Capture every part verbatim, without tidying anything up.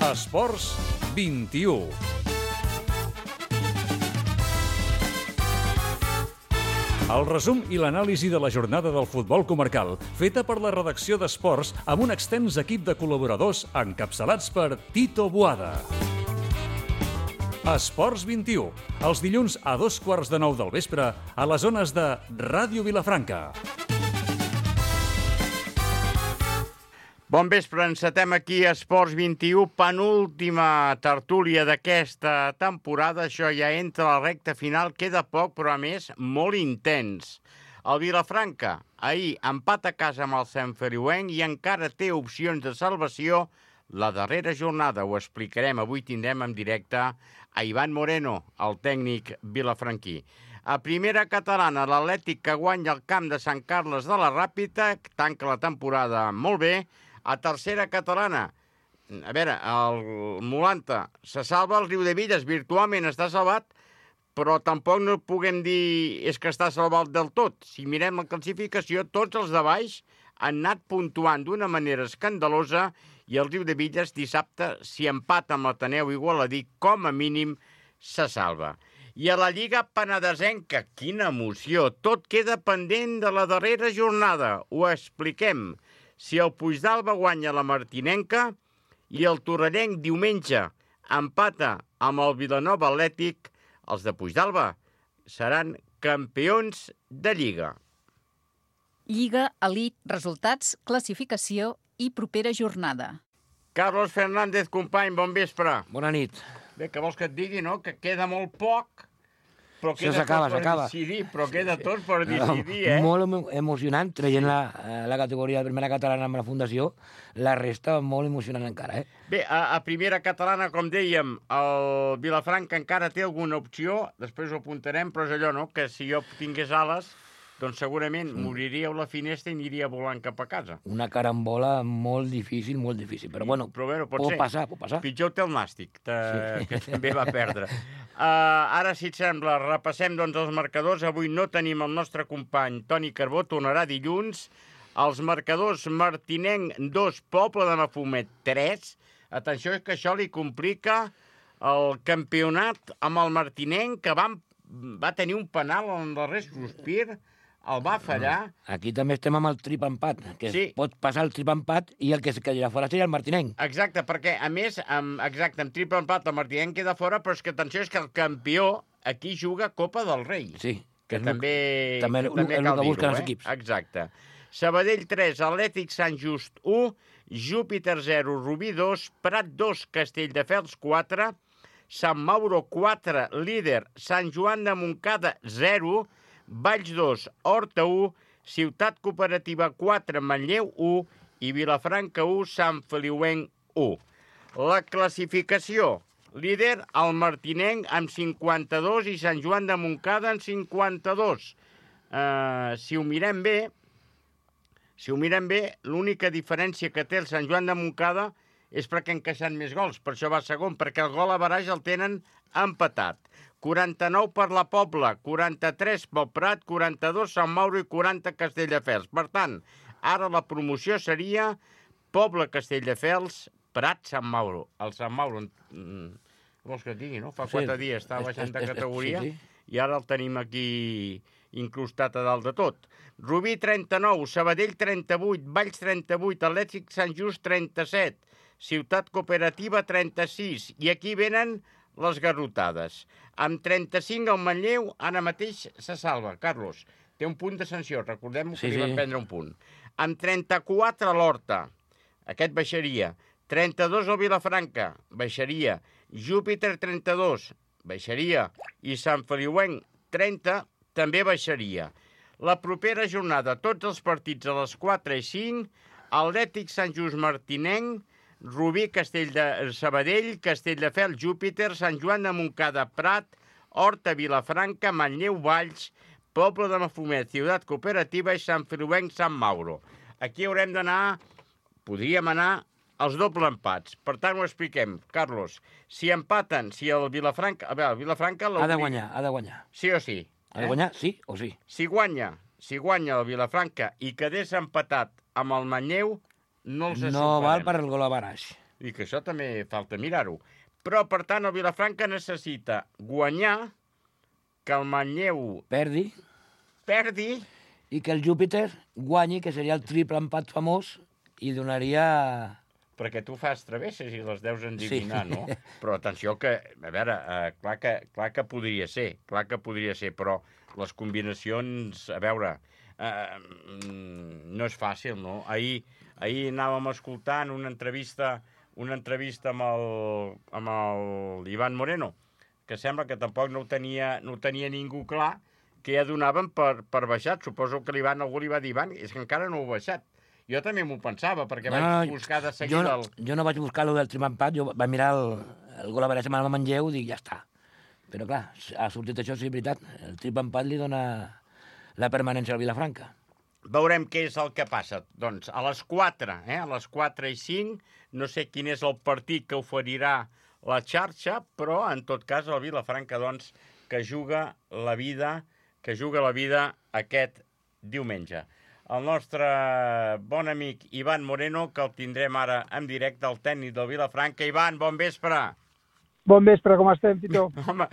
Esports vint-i-u. El resum i l'anàlisi de la jornada del futbol comarcal, feta per la redacció d'Esports amb un extens equip de col·laboradors encapçalats per Tito Boada. Esports vint-i-u, els dilluns a dos quarts de nou del vespre a les zones de Ràdio Vilafranca. Bon vespre, encetem aquí a Esports vint-i-u, penúltima tertúlia d'aquesta temporada. Això ja entra a la recta final, queda poc, però a més molt intens. El Vilafranca ahir empat a casa amb el Sant Feliuenc i encara té opcions de salvació la darrera jornada. Ho explicarem. Avui tindrem en directe a Ivan Moreno, el tècnic vilafranquí. A primera catalana, l'Atlètic que guanya el camp de Sant Carles de la Ràpita, tanca la temporada molt bé. A tercera catalana, a veure, el Molanta se salva, el Riudebitlles virtualment està salvat, però tampoc no puguem dir és que està salvat del tot. Si mirem la classificació, tots els de baix han anat puntuant d'una manera escandalosa i el Riudebitlles dissabte, si empata amb l'Ateneu Igualadí, com a mínim se salva. I a la Lliga Penedesenca, quina emoció, tot queda pendent de la darrera jornada. Ho expliquem. Si el Puigdàlber guanya la Martinenca i el Torrellenc diumenge empata amb el Vilanova Atlètic, els de Puigdàlber seran campions de Lliga. Lliga, elit, resultats, classificació i propera jornada. Carlos Fernández, company, bon vespre. Bona nit. Bé, que vols que et digui, no?, que queda molt poc, però Això queda s'acaba, tot per s'acaba. decidir, però queda tot per decidir, eh? Molt emo- emocionant, traient la, la categoria de primera catalana amb la Fundació, la resta molt emocionant encara, eh? Bé, a, a primera catalana, com dèiem, el Vilafranca encara té alguna opció, després ho apuntarem, però és allò, no?, que si jo tingués ales, doncs segurament m'obriria a la finestra i aniria volant cap a casa. Una carambola molt difícil, molt difícil, però bueno, Però, bueno pot, pot ser. passar, pot passar. Pitjor té el Nàstic, te... Sí. que també va perdre. Uh, ara, si et sembla, repassem doncs, els marcadors. Avui no tenim el nostre company Toni Carbó, tornarà dilluns. Els marcadors: Martinenc dos, Pobla de Mafumet tres. Atenció, és que això li complica el campionat amb el Martinenc, que va, va tenir un penal en el darrer sospir, el va fallar. Aquí també estem amb el trip empat, que Sí. pot passar el trip empat i el que es quedarà fora seria el Martinenc. Exacte, perquè, a més, amb, exacte, amb triple empat el Martinenc queda fora, però és que, atenció, és que el campió aquí juga Copa del Rei. Sí. Que és també, també que el- també el cal que busquen dir-ho, els eh? equips. Exacte. Sabadell tres, Atlètic Sant Just u, Júpiter zero, Rubí dos, Prat dos, Castelldefels quatre, Sant Mauro quatre, líder, Sant Joan de Montcada zero, Valls dos, Horta u, Ciutat Cooperativa quatre, Manlleu u i Vilafranca u, Sant Feliuenc u. La classificació: líder el Martinenc amb cinquanta-dos i Sant Joan de Montcada amb cinquanta-dos. Uh, si ho mirem bé, si ho mirem bé, l'única diferència que té el Sant Joan de Montcada és perquè han encaixat més gols, per això va segon, perquè el gol a baraix el tenen empatat. quaranta-nou per la Pobla, quaranta-tres pel Prat, quaranta-dos Sant Mauro i quaranta Castelldefels. Per tant, ara la promoció seria Pobla, Castelldefels, Prat, Sant Mauro. El Sant Mauro, mm, vols que et digui, no? Fa Sí, quatre dies estava és- baixant de és- és- categoria sí, sí. i ara el tenim aquí incrustat a dalt de tot. Rubí trenta-nou, Sabadell trenta-vuit, Valls trenta-vuit, Atlètic Sant Just trenta-set, Ciutat Cooperativa trenta-sis, i aquí venen les garrotades. Amb trenta-cinc el Manlleu ara mateix se salva. Carlos, té un punt de sanció, recordem que Sí, li sí. van prendre un punt. Amb trenta-quatre l'Horta, aquest baixaria. trenta-dos el Vilafranca, baixaria. Júpiter trenta-dos, baixaria. I Sant Feliuenc trenta, també baixaria. La propera jornada, tots els partits a les quatre i cinc, Atlètic Sant Just Martinenc, Rubí, Castell de Sabadell, Castelldefels, Júpiter, Sant Joan de Montcada, Prat, Horta, Vilafranca, Manlleu, Valls, Pobla de Mafumet, Ciutat Cooperativa i Sant Feliuenc, Sant Mauro. Aquí haurem d'anar, podríem anar als doble empats. Per tant, ho expliquem. Carlos, si empaten, si el Vilafranca... A veure, el Vilafranca... Ha de guanyar, ha de guanyar. Sí o sí? Ha de guanyar, sí o sí. Si guanya, si guanya el Vilafranca i quedés empatat amb el Manlleu, no els No superem. val per el gol a baraix. I que això també falta mirar-ho. Però, per tant, el Vilafranca necessita guanyar, que el Manlleu Perdi, perdi, i que el Júpiter guanyi, que seria el triple empat famós, i donaria... perquè tu fas travesses i les deus endivinar, Sí. no? Però atenció que, a veure, eh, clar, que, clar que podria ser, clar que podria ser, però les combinacions, a veure, eh, mm, no és fàcil, no? Ahir, ahir anàvem escoltant una entrevista, una entrevista amb el, amb el Ivan Moreno, que sembla que tampoc no ho tenia, no ho tenia ningú clar, que ja donaven per, per baixat. Suposo que l'Ivan, algú li va dir, Ivan, és que encara no ho ha baixat. Jo també m'ho pensava, perquè No, vaig no, buscar de jo seguida no, el... jo no vaig buscar lo del triple empat, jo vaig mirar el, el gol a veure amb el Manlleu i dic, ja està. Però clar, ha sortit això, sí, és veritat. El triple empat li dona la permanència al Vilafranca. Veurem què és el que passa. Doncs a les quatre, eh? a les quatre i cinc, no sé quin és el partit que oferirà la xarxa, però en tot cas el Vilafranca, doncs, que juga la vida, que juga la vida aquest diumenge. El nostre bon amic Ivan Moreno, que el tindrem ara en directe, el tècnic del Vilafranca. Ivan, bon vespre. Bon vespre, com estem, Tito? Home,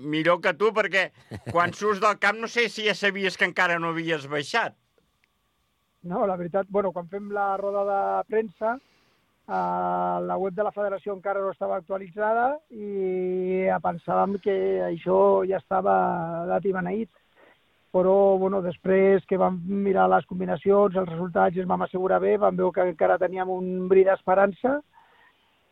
millor que tu, perquè quan surts del camp no sé si ja sabies que encara no havies baixat. No, la veritat, bueno, quan fem la roda de premsa, eh, la web de la federació encara no estava actualitzada i pensàvem que això ja estava dat i beneït. Però, bueno, després que vam mirar les combinacions, els resultats, i ens vam assegurar bé, vam veure que encara teníem un bri d'esperança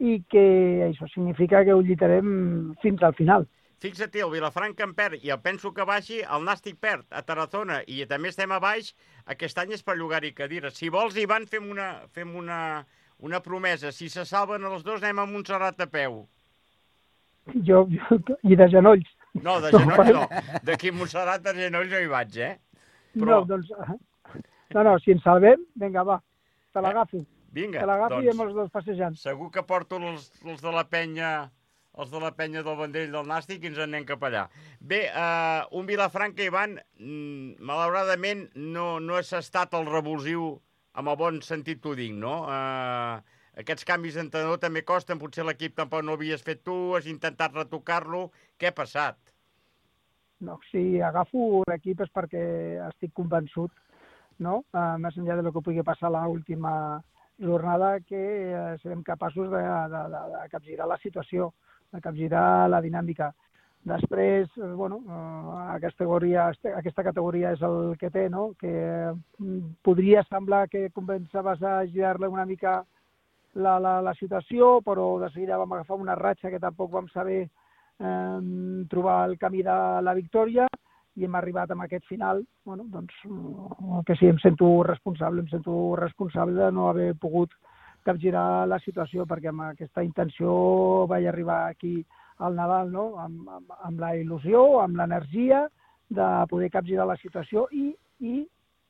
i que això significa que ho lluitarem fins al final. Fixa't, el Vilafranca en perd, i el penso que baixi, el Nàstic perd a Tarazona, i també estem a baix, aquest any és per llogar-hi cadires. Si vols, Ivan, fem una, fem una, una promesa. Si se salven els dos, anem a Montserrat a peu. Jo, jo I de genolls. No, de genolls no. D'aquí a Montserrat de genolls no hi vaig, eh? Però... No, doncs... No, no, si ens salvem, vinga, va, te l'agafo. Vinga, te l'agafo doncs, i amb els dos passejant. Segur que porto els, els de la penya... els de la penya del Vendrell del Nàstic i ens en anem cap allà. Bé, eh, un Vilafranca, Ivan, malauradament no, no has estat el revulsiu amb el bon sentit t'ho dic, no? Eh, aquests canvis d'entrenador també costen, potser l'equip tampoc no havies fet tu, has intentat retocar-lo. Què ha passat? No, si agafo l'equip és perquè estic convençut, no? Uh, més enllà de lo que pugui passar a l'última jornada, que uh, serem capaços de, de, de, de capgirar la situació, de capgirar la dinàmica. Després, eh, bueno, eh, aquesta, categoria, aquesta categoria és el que té, no? Que eh, podria semblar que començaves a girar-le una mica la, la, la situació, però de seguida vam agafar una ratxa que tampoc vam saber eh, trobar el camí de la victòria i hem arribat amb aquest final. Bueno, doncs, que sí, em sento responsable, em sento responsable de no haver pogut capgirar la situació, perquè amb aquesta intenció vaig arribar aquí al Nadal, no? amb, amb, amb la il·lusió, amb l'energia de poder capgirar la situació i, i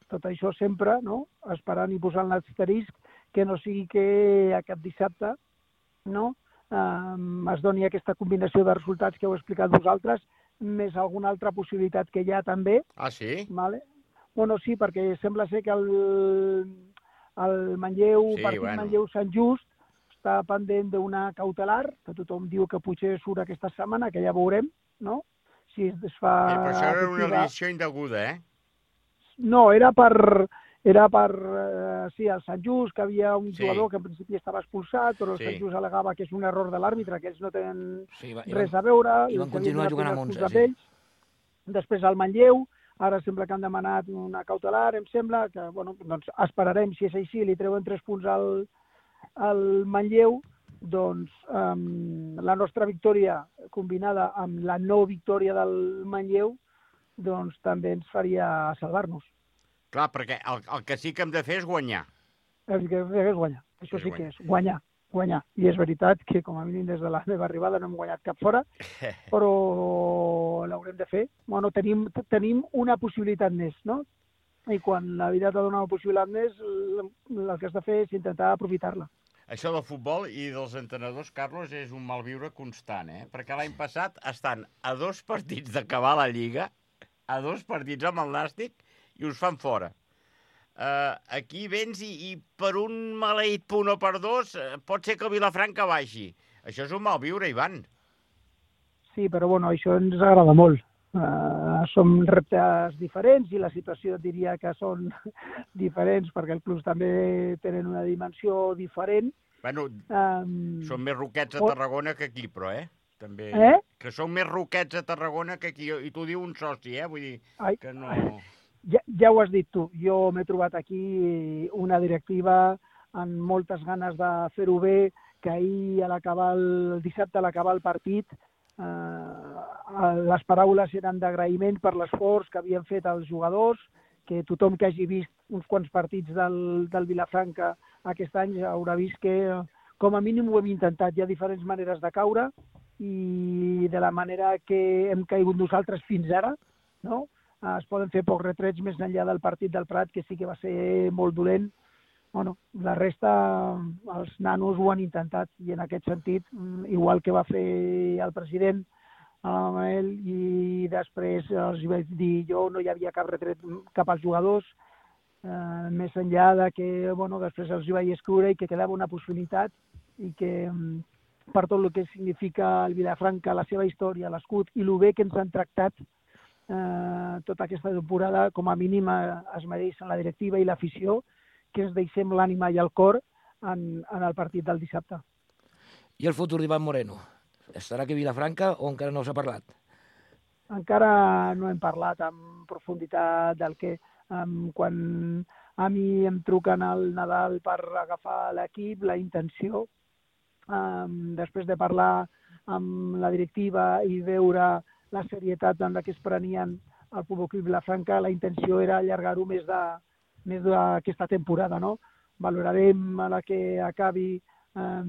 tot això sempre, no? Esperant i posant l'asterisc que no sigui que aquest dissabte, no? eh, es doni aquesta combinació de resultats que heu explicat vosaltres, més alguna altra possibilitat que hi ha també. Ah, sí? Vale? Bueno, sí, perquè sembla ser que el el Manlleu, sí, partit bueno. Manlleu-Sant Just, està pendent d'una cautelar, que tothom diu que potser surt aquesta setmana, que ja veurem, no? Si es fa... Eh, però això era una efectiva. lesió indeguda, eh? No, era per... Era per, eh, sí, el Sant Just, que havia un Sí. jugador que en principi estava expulsat, però el Sí. Sant Just al·legava que és un error de l'àrbitre, que ells no tenen Sí, va, res a veure. i van que continuar havien jugant de amb prendre onze, expulsar ells. Després el Manlleu, ara sembla que han demanat una cautelar, em sembla, que, bueno, doncs esperarem, si és així, li treuen tres punts al, al Manlleu, doncs um, la nostra victòria combinada amb la no victòria del Manlleu, doncs també ens faria salvar-nos. Clar, perquè el, el que sí que hem de fer és guanyar. El que és guanyar, això És sí guanyar. que és guanyar, guanyar. I és veritat que com a mínim des de la meva arribada no hem guanyat cap fora, però l'haurem de fer. Bueno, tenim, tenim una possibilitat més, no? I quan la vida t'ha donat una possibilitat més, el que has de fer és intentar aprofitar-la. Això del futbol i dels entrenadors, Carlos, és un malviure constant, eh? Perquè l'any passat estan a dos partits d'acabar la Lliga, a dos partits amb el Nàstic, i us fan fora. Uh, aquí vens i, i per un maleït punt o per dos uh, pot ser que el Vilafranca baixi. Això és un mal viure, Ivan. Sí, però bueno, això ens agrada molt. Uh, som reptes diferents i la situació diria que són diferents perquè els clubs també tenen una dimensió diferent. Bueno, um, són més roquets a Tarragona que aquí, però, eh? També... Eh? Que són més roquets a Tarragona que aquí. I t'ho diu un soci, eh? Vull dir Ai, que no... Ja, ja ho has dit tu. Jo m'he trobat aquí una directiva amb moltes ganes de fer-ho bé, que ahir, a l'acabar el dissabte, a l'acabar el partit, Eh, les paraules eren d'agraïment per l'esforç que havien fet els jugadors, que tothom que hagi vist uns quants partits del, del Vilafranca aquest any haurà vist que com a mínim ho hem intentat. Hi ha diferents maneres de caure i de la manera que hem caigut nosaltres fins ara, no? Es poden fer pocs retrets més enllà del partit del Prat, que sí que va ser molt dolent. Bueno, la resta, els nanos ho han intentat i en aquest sentit, igual que va fer el president, el Manel, i després els vaig dir jo, no hi havia cap retret cap als jugadors, eh, més enllà de que, bueno, després els vaig escriure i que quedava una possibilitat i que per tot el que significa el Vilafranca, la seva història, l'escut i el bé que ens han tractat eh, tota aquesta temporada, com a mínim es mereixen la directiva i l'afició, que ens deixem l'ànima i el cor en, en el partit del dissabte. I el futur d'Ivan Moreno? Estarà aquí a Vilafranca o encara no s'ha parlat? Encara no hem parlat en profunditat del que... Um, quan a mi em truquen al Nadal per agafar l'equip, la intenció, um, després de parlar amb la directiva i veure la serietat en la que es prenien el Futbol Club Vilafranca, la intenció era allargar-ho més de més d'aquesta temporada, no? Valorarem a la que acabi eh,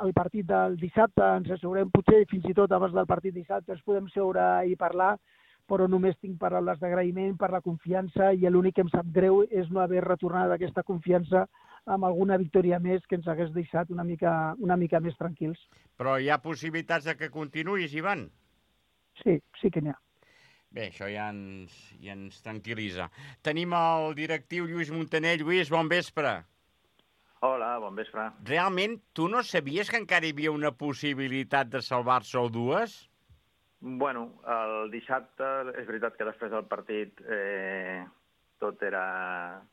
el partit del dissabte, ens asseurem potser fins i tot abans del partit dissabte, ens podem seure i parlar, però només tinc paraules d'agraïment per la confiança i l'únic que em sap greu és no haver retornat aquesta confiança amb alguna victòria més que ens hagués deixat una mica, una mica més tranquils. Però hi ha possibilitats de que continuïs, Ivan? Sí, sí que n'hi ha. Bé, això ja ens, ja ens tranquil·litza. Tenim el directiu Lluís Muntaner. Lluís, bon vespre. Hola, bon vespre. Realment, tu no sabies que encara hi havia una possibilitat de salvar-se o dues? Bueno, el dissabte, és veritat que després del partit eh, tot era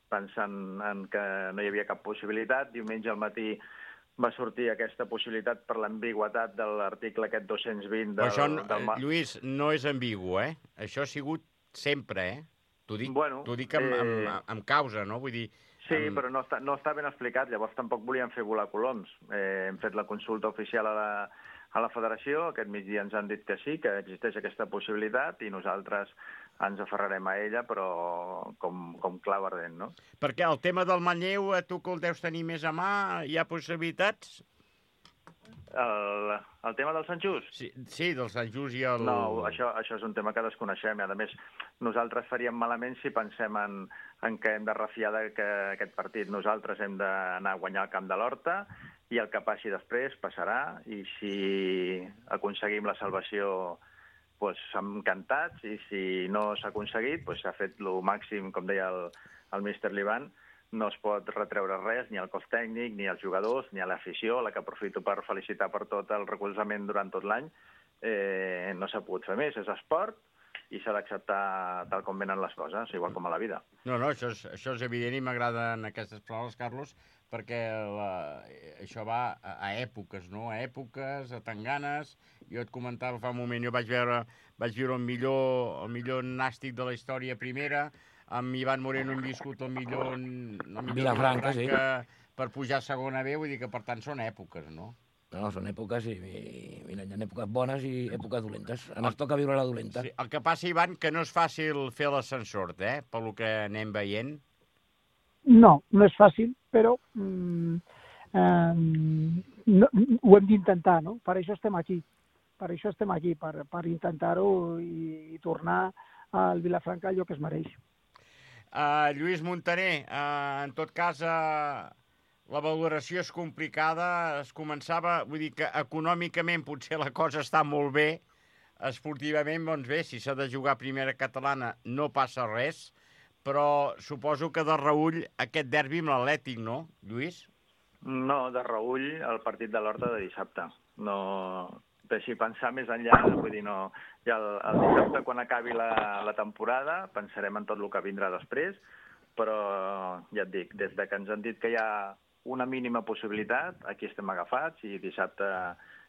pensant en que no hi havia cap possibilitat. Diumenge al matí va sortir aquesta possibilitat per l'ambigüetat de l'article aquest dos-cents vint del... Això, del... Lluís, no és ambigu, eh? Això ha sigut sempre, eh? T'ho dic, bueno, dic amb, eh... amb, amb causa, no? Vull dir... Sí, amb... però no està, no està ben explicat, llavors tampoc volíem fer volar coloms. Eh, hem fet la consulta oficial a la, a la federació, aquest migdia ens han dit que sí, que existeix aquesta possibilitat i nosaltres ens aferrarem a ella, però com, com clau ardent, no? Perquè el tema del Manlleu, tu que el deus tenir més a mà, hi ha possibilitats? El, el tema del Sant Just? Sí, sí, del Sant Just i el... No, això, això és un tema que desconeixem. A més, nosaltres faríem malament si pensem en, en que hem de refiar d'aquest partit. Nosaltres hem d'anar a guanyar el camp de l'Horta i el que passi després passarà. I si aconseguim la salvació, doncs som encantats. I si no s'ha aconseguit, doncs s'ha fet el màxim, com deia el, el míster Liban. No es pot retreure res, ni al cos tècnic, ni als jugadors, ni a l'afició, la que aprofito per felicitar per tot el recolzament durant tot l'any. Eh, no s'ha pogut fer més, és esport i s'ha d'acceptar tal com venen les coses, igual com a la vida. No, no, això és, això és evident i m'agraden aquestes paraules, Carlos, perquè la, això va a, a èpoques, no? A èpoques, a tanganes. Jo et comentava fa un moment, jo vaig veure, vaig viure el millor, el millor nàstic de la història primera. Amb Ivan Moreno hem viscut el millor, el millor Vilafranca, sí. Per pujar a segona B, vull dir que per tant són èpoques, no? No, són èpoques, i, i mira, hi ha èpoques bones i èpoques dolentes. Ens toca viure la dolenta. Sí, el que passa, Ivan, que no és fàcil fer l'ascensor, eh? Pel que anem veient. No, no és fàcil, però mm, eh, no, ho hem d'intentar, no? Per això estem aquí. Per això estem aquí, per, per intentar-ho i, i tornar al Vilafranca allò que es mereix. Uh, Lluís Muntaner, uh, en tot cas, uh, la valoració és complicada. Es començava, vull dir que econòmicament potser la cosa està molt bé. Esportivament, doncs bé, si s'ha de jugar a primera catalana no passa res, però suposo que de reull aquest derbi amb l'Atlètic, no, Lluís? No, de reull el partit de l'Horta de dissabte. No deixi pensar més enllà, vull dir, no... Ja el, el dissabte, quan acabi la, la temporada, pensarem en tot el que vindrà després, però ja et dic, des de que ens han dit que hi ha una mínima possibilitat, aquí estem agafats i dissabte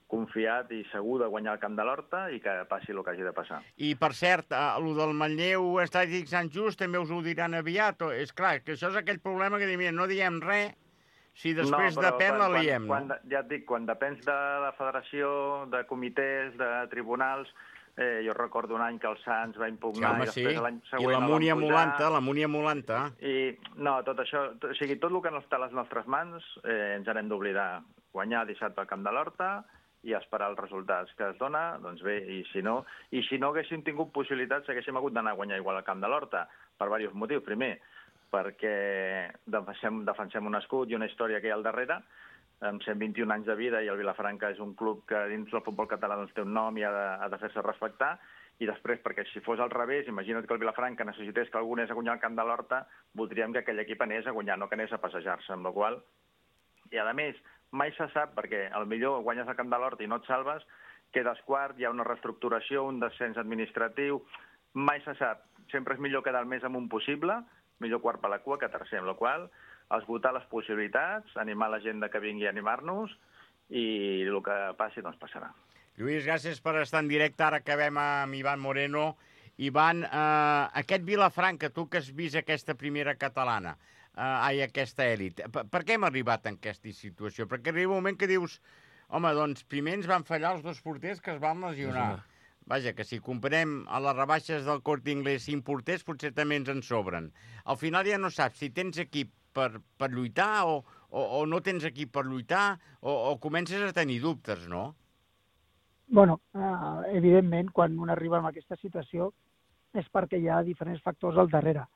confiat i segur de guanyar el camp de l'Horta i que passi el que hagi de passar. I, per cert, el del Manlleu Estàtic Sant Just també us ho diran aviat. O... És clar, que això és aquell problema que diuen, no diem res, si després no, depèn la liem. Quan, quan, ja et dic, quan depens de la federació, de comitès, de tribunals, eh, jo recordo un any que el Sants va impugnar sí, home, i després sí. l'any següent I la Múnia Molanta, la Múnia Molanta. I no, tot això, tot, o sigui, tot el que no està a les nostres mans eh, ens n'hem d'oblidar. Guanyar dissabte al camp de l'Horta i esperar els resultats que es dona, doncs bé, i si no, i si no haguéssim tingut possibilitats, haguéssim hagut d'anar a guanyar igual al camp de l'Horta, per diversos motius. Primer, perquè defensem, defensem un escut i una història que hi ha al darrere, amb cent vint-i-un anys de vida, i el Vilafranca és un club que dins del futbol català doncs, té un nom i ha de, ha de fer-se respectar, i després, perquè si fos al revés, imagina't que el Vilafranca necessités que algú anés a guanyar al camp de l'Horta, voldríem que aquell equip anés a guanyar, no que anés a passejar-se, amb la qual cosa... I a més, mai se sap, perquè al millor guanyes al camp de l'Horta i no et salves, quedes quart, hi ha una reestructuració, un descens administratiu, mai se sap. Sempre és millor quedar el més amunt possible, millor quart per la cua que tercer, amb la qual cosa esgotar les possibilitats, animar la gent que vingui a animar-nos i el que passi, doncs passarà. Lluís, gràcies per estar en directe. Ara acabem amb Ivan Moreno. Ivan, eh, aquest Vilafranca, tu que has vist aquesta primera catalana, eh, ai, aquesta èlit, per, per què hem arribat en aquesta situació? Perquè arriba un moment que dius, home, doncs primer ens van fallar els dos porters que es van lesionar. Vaja, que si comparem a les rebaixes del Corte Inglés cinc porters, potser també ens en sobren. Al final ja no saps si tens equip per, per lluitar o, o, o no tens equip per lluitar o, o comences a tenir dubtes, no? Bueno, eh, evidentment, quan un arriba en aquesta situació és perquè hi ha diferents factors al darrere.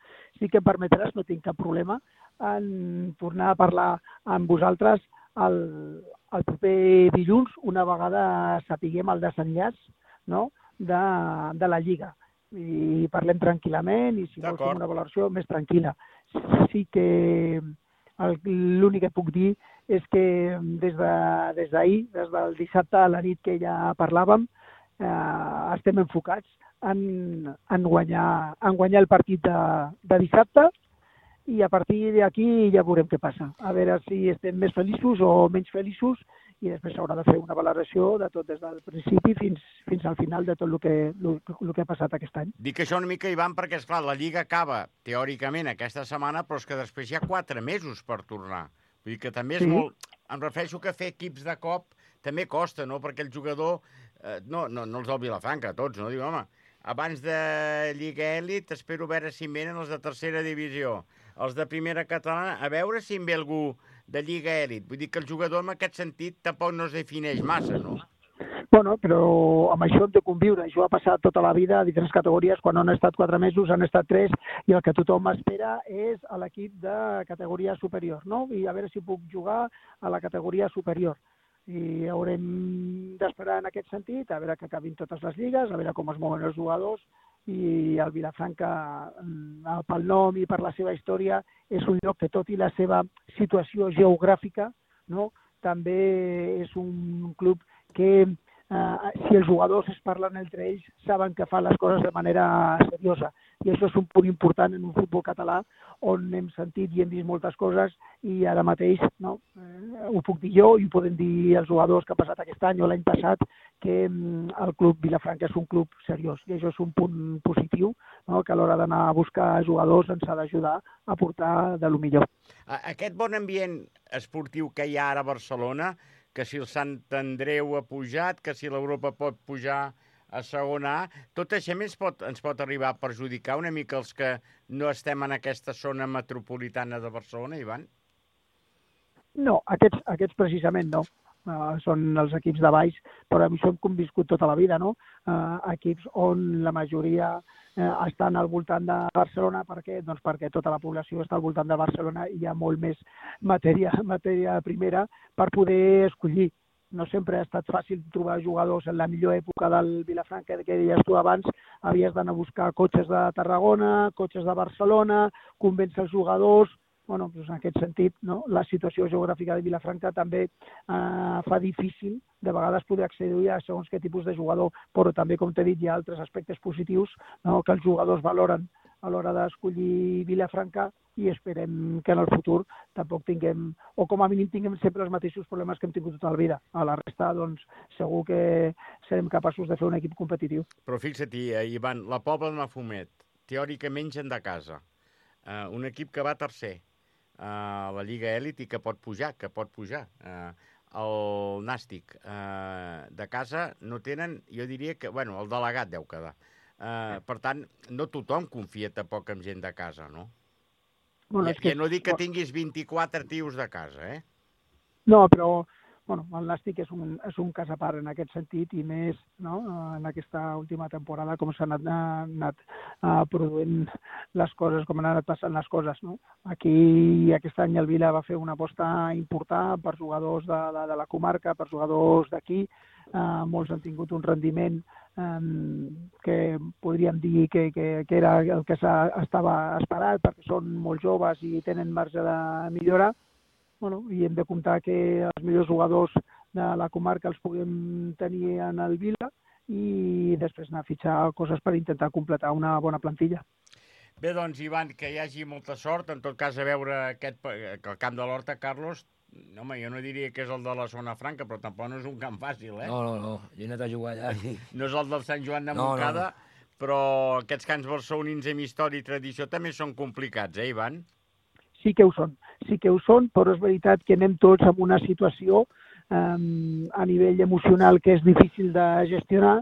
Sí que em permetràs, no tinc cap problema en tornar a parlar amb vosaltres el, el proper dilluns, una vegada sapiguem el desenllaç, no?, de, de la Lliga. I parlem tranquil·lament i si vols fer una valoració més tranquil·la. Sí que l'únic que puc dir és que des de, des d'ahir, des del dissabte a la nit que ja parlàvem, eh, estem enfocats en, en, guanyar, en guanyar el partit de, de dissabte i a partir d'aquí ja veurem què passa. A veure si estem més feliços o menys feliços i després s'haurà de fer una valoració de tot des del principi fins, fins al final de tot el que, el, el que ha passat aquest any. Dic això una mica, Ivan, perquè, esclar, la Lliga acaba teòricament aquesta setmana, però és que després hi ha quatre mesos per tornar. Vull dir que també és sí. molt... Em refereixo que fer equips de cop també costa, no? Perquè el jugador... Eh, no, no, no els del Vilafranca, tots, no? Diu, home, abans de Lliga Elit espero veure si em venen els de tercera divisió. Els de primera catalana, a veure si em ve algú de Lliga Elit. Vull dir que el jugador en aquest sentit tampoc no es defineix massa, no? Bueno, però amb això hem de conviure. Això ha passat tota la vida a diferents categories. Quan han estat quatre mesos, han estat tres, i el que tothom espera és a l'equip de categoria superior, no? I a veure si puc jugar a la categoria superior. I haurem d'esperar en aquest sentit, a veure que acabin totes les lligues, a veure com es mouen els jugadors, i el Vilafranca, pel nom i per la seva història, és un lloc que, tot i la seva situació geogràfica, no?, també és un club que, eh, si els jugadors es parlen entre ells, saben que fan les coses de manera seriosa. I això és un punt important en un futbol català on hem sentit i hem vist moltes coses i ara mateix, no, eh, ho puc dir jo i ho poden dir els jugadors que ha passat aquest any o l'any passat, que el club Vilafranca és un club seriós i això és un punt positiu, no?, que a l'hora d'anar a buscar jugadors ens ha d'ajudar a portar de lo millor. Aquest bon ambient esportiu que hi ha ara a Barcelona, que si el Sant Andreu ha pujat, que si l'Europa pot pujar a segona A, tot això ens pot, ens pot arribar a perjudicar una mica els que no estem en aquesta zona metropolitana de Barcelona, Ivan? No, aquests, aquests precisament no. Uh, són els equips de baix, però això hem conviscut tota la vida, no? Uh, equips on la majoria uh, estan al voltant de Barcelona. Per què? Doncs perquè tota la població està al voltant de Barcelona i hi ha molt més matèria, matèria primera per poder escollir. no sempre ha estat fàcil trobar jugadors en la millor època del Vilafranca, que deies tu abans, havies d'anar a buscar cotxes de Tarragona, cotxes de Barcelona, convèncer els jugadors. Bueno, doncs en aquest sentit, no? La situació geogràfica de Vilafranca també eh, fa difícil de vegades poder accedir a segons què tipus de jugador, però també, com t'he dit, hi ha altres aspectes positius, no? Que els jugadors valoren a l'hora d'escollir Vilafranca, i esperem que en el futur tampoc tinguem, o com a mínim tinguem sempre els mateixos problemes que hem tingut tota la vida. A la resta, doncs, segur que serem capaços de fer un equip competitiu. Però fixa't, Ivan, la Pobla de Mafumet, teòricament gent de casa, uh, un equip que va tercer a uh, la Lliga Elit i que pot pujar, que pot pujar. Uh, el Nàstic uh, de casa no tenen, jo diria que, bueno, el delegat deu quedar. Uh, per tant, no tothom confia tampoc en gent de casa, no? Bueno, ja, és que... ja no dic que tinguis vint-i-quatre tios de casa, eh? No, però bueno, el Nàstic és un, és un cas a part en aquest sentit, i més, no? En aquesta última temporada com s'han anat, anat uh, produint les coses, com han anat passant les coses, no? Aquí aquest any el Vila va fer una aposta important per jugadors de, de, de la comarca, per jugadors d'aquí. Uh, molts han tingut un rendiment um, que podríem dir que, que, que era el que estava esperat, perquè són molt joves i tenen marge de millora. Bueno, i hem de comptar que els millors jugadors de la comarca els puguem tenir en el Vila i després anar a fitxar coses per intentar completar una bona plantilla. Bé, doncs, Ivan, que hi hagi molta sort. En tot cas, a veure aquest, que el camp de l'Horta, Carlos, home, jo no diria que és el de la zona franca, però tampoc no és un camp fàcil, eh? No, no, no, jo he anat a jugar allà. No és el del Sant Joan de No, Montcada, no, no. Però aquests camps barcelonins amb història i tradició també són complicats, eh, Ivan? Sí que ho són, sí que ho són, però és veritat que anem tots en una situació um, a nivell emocional que és difícil de gestionar,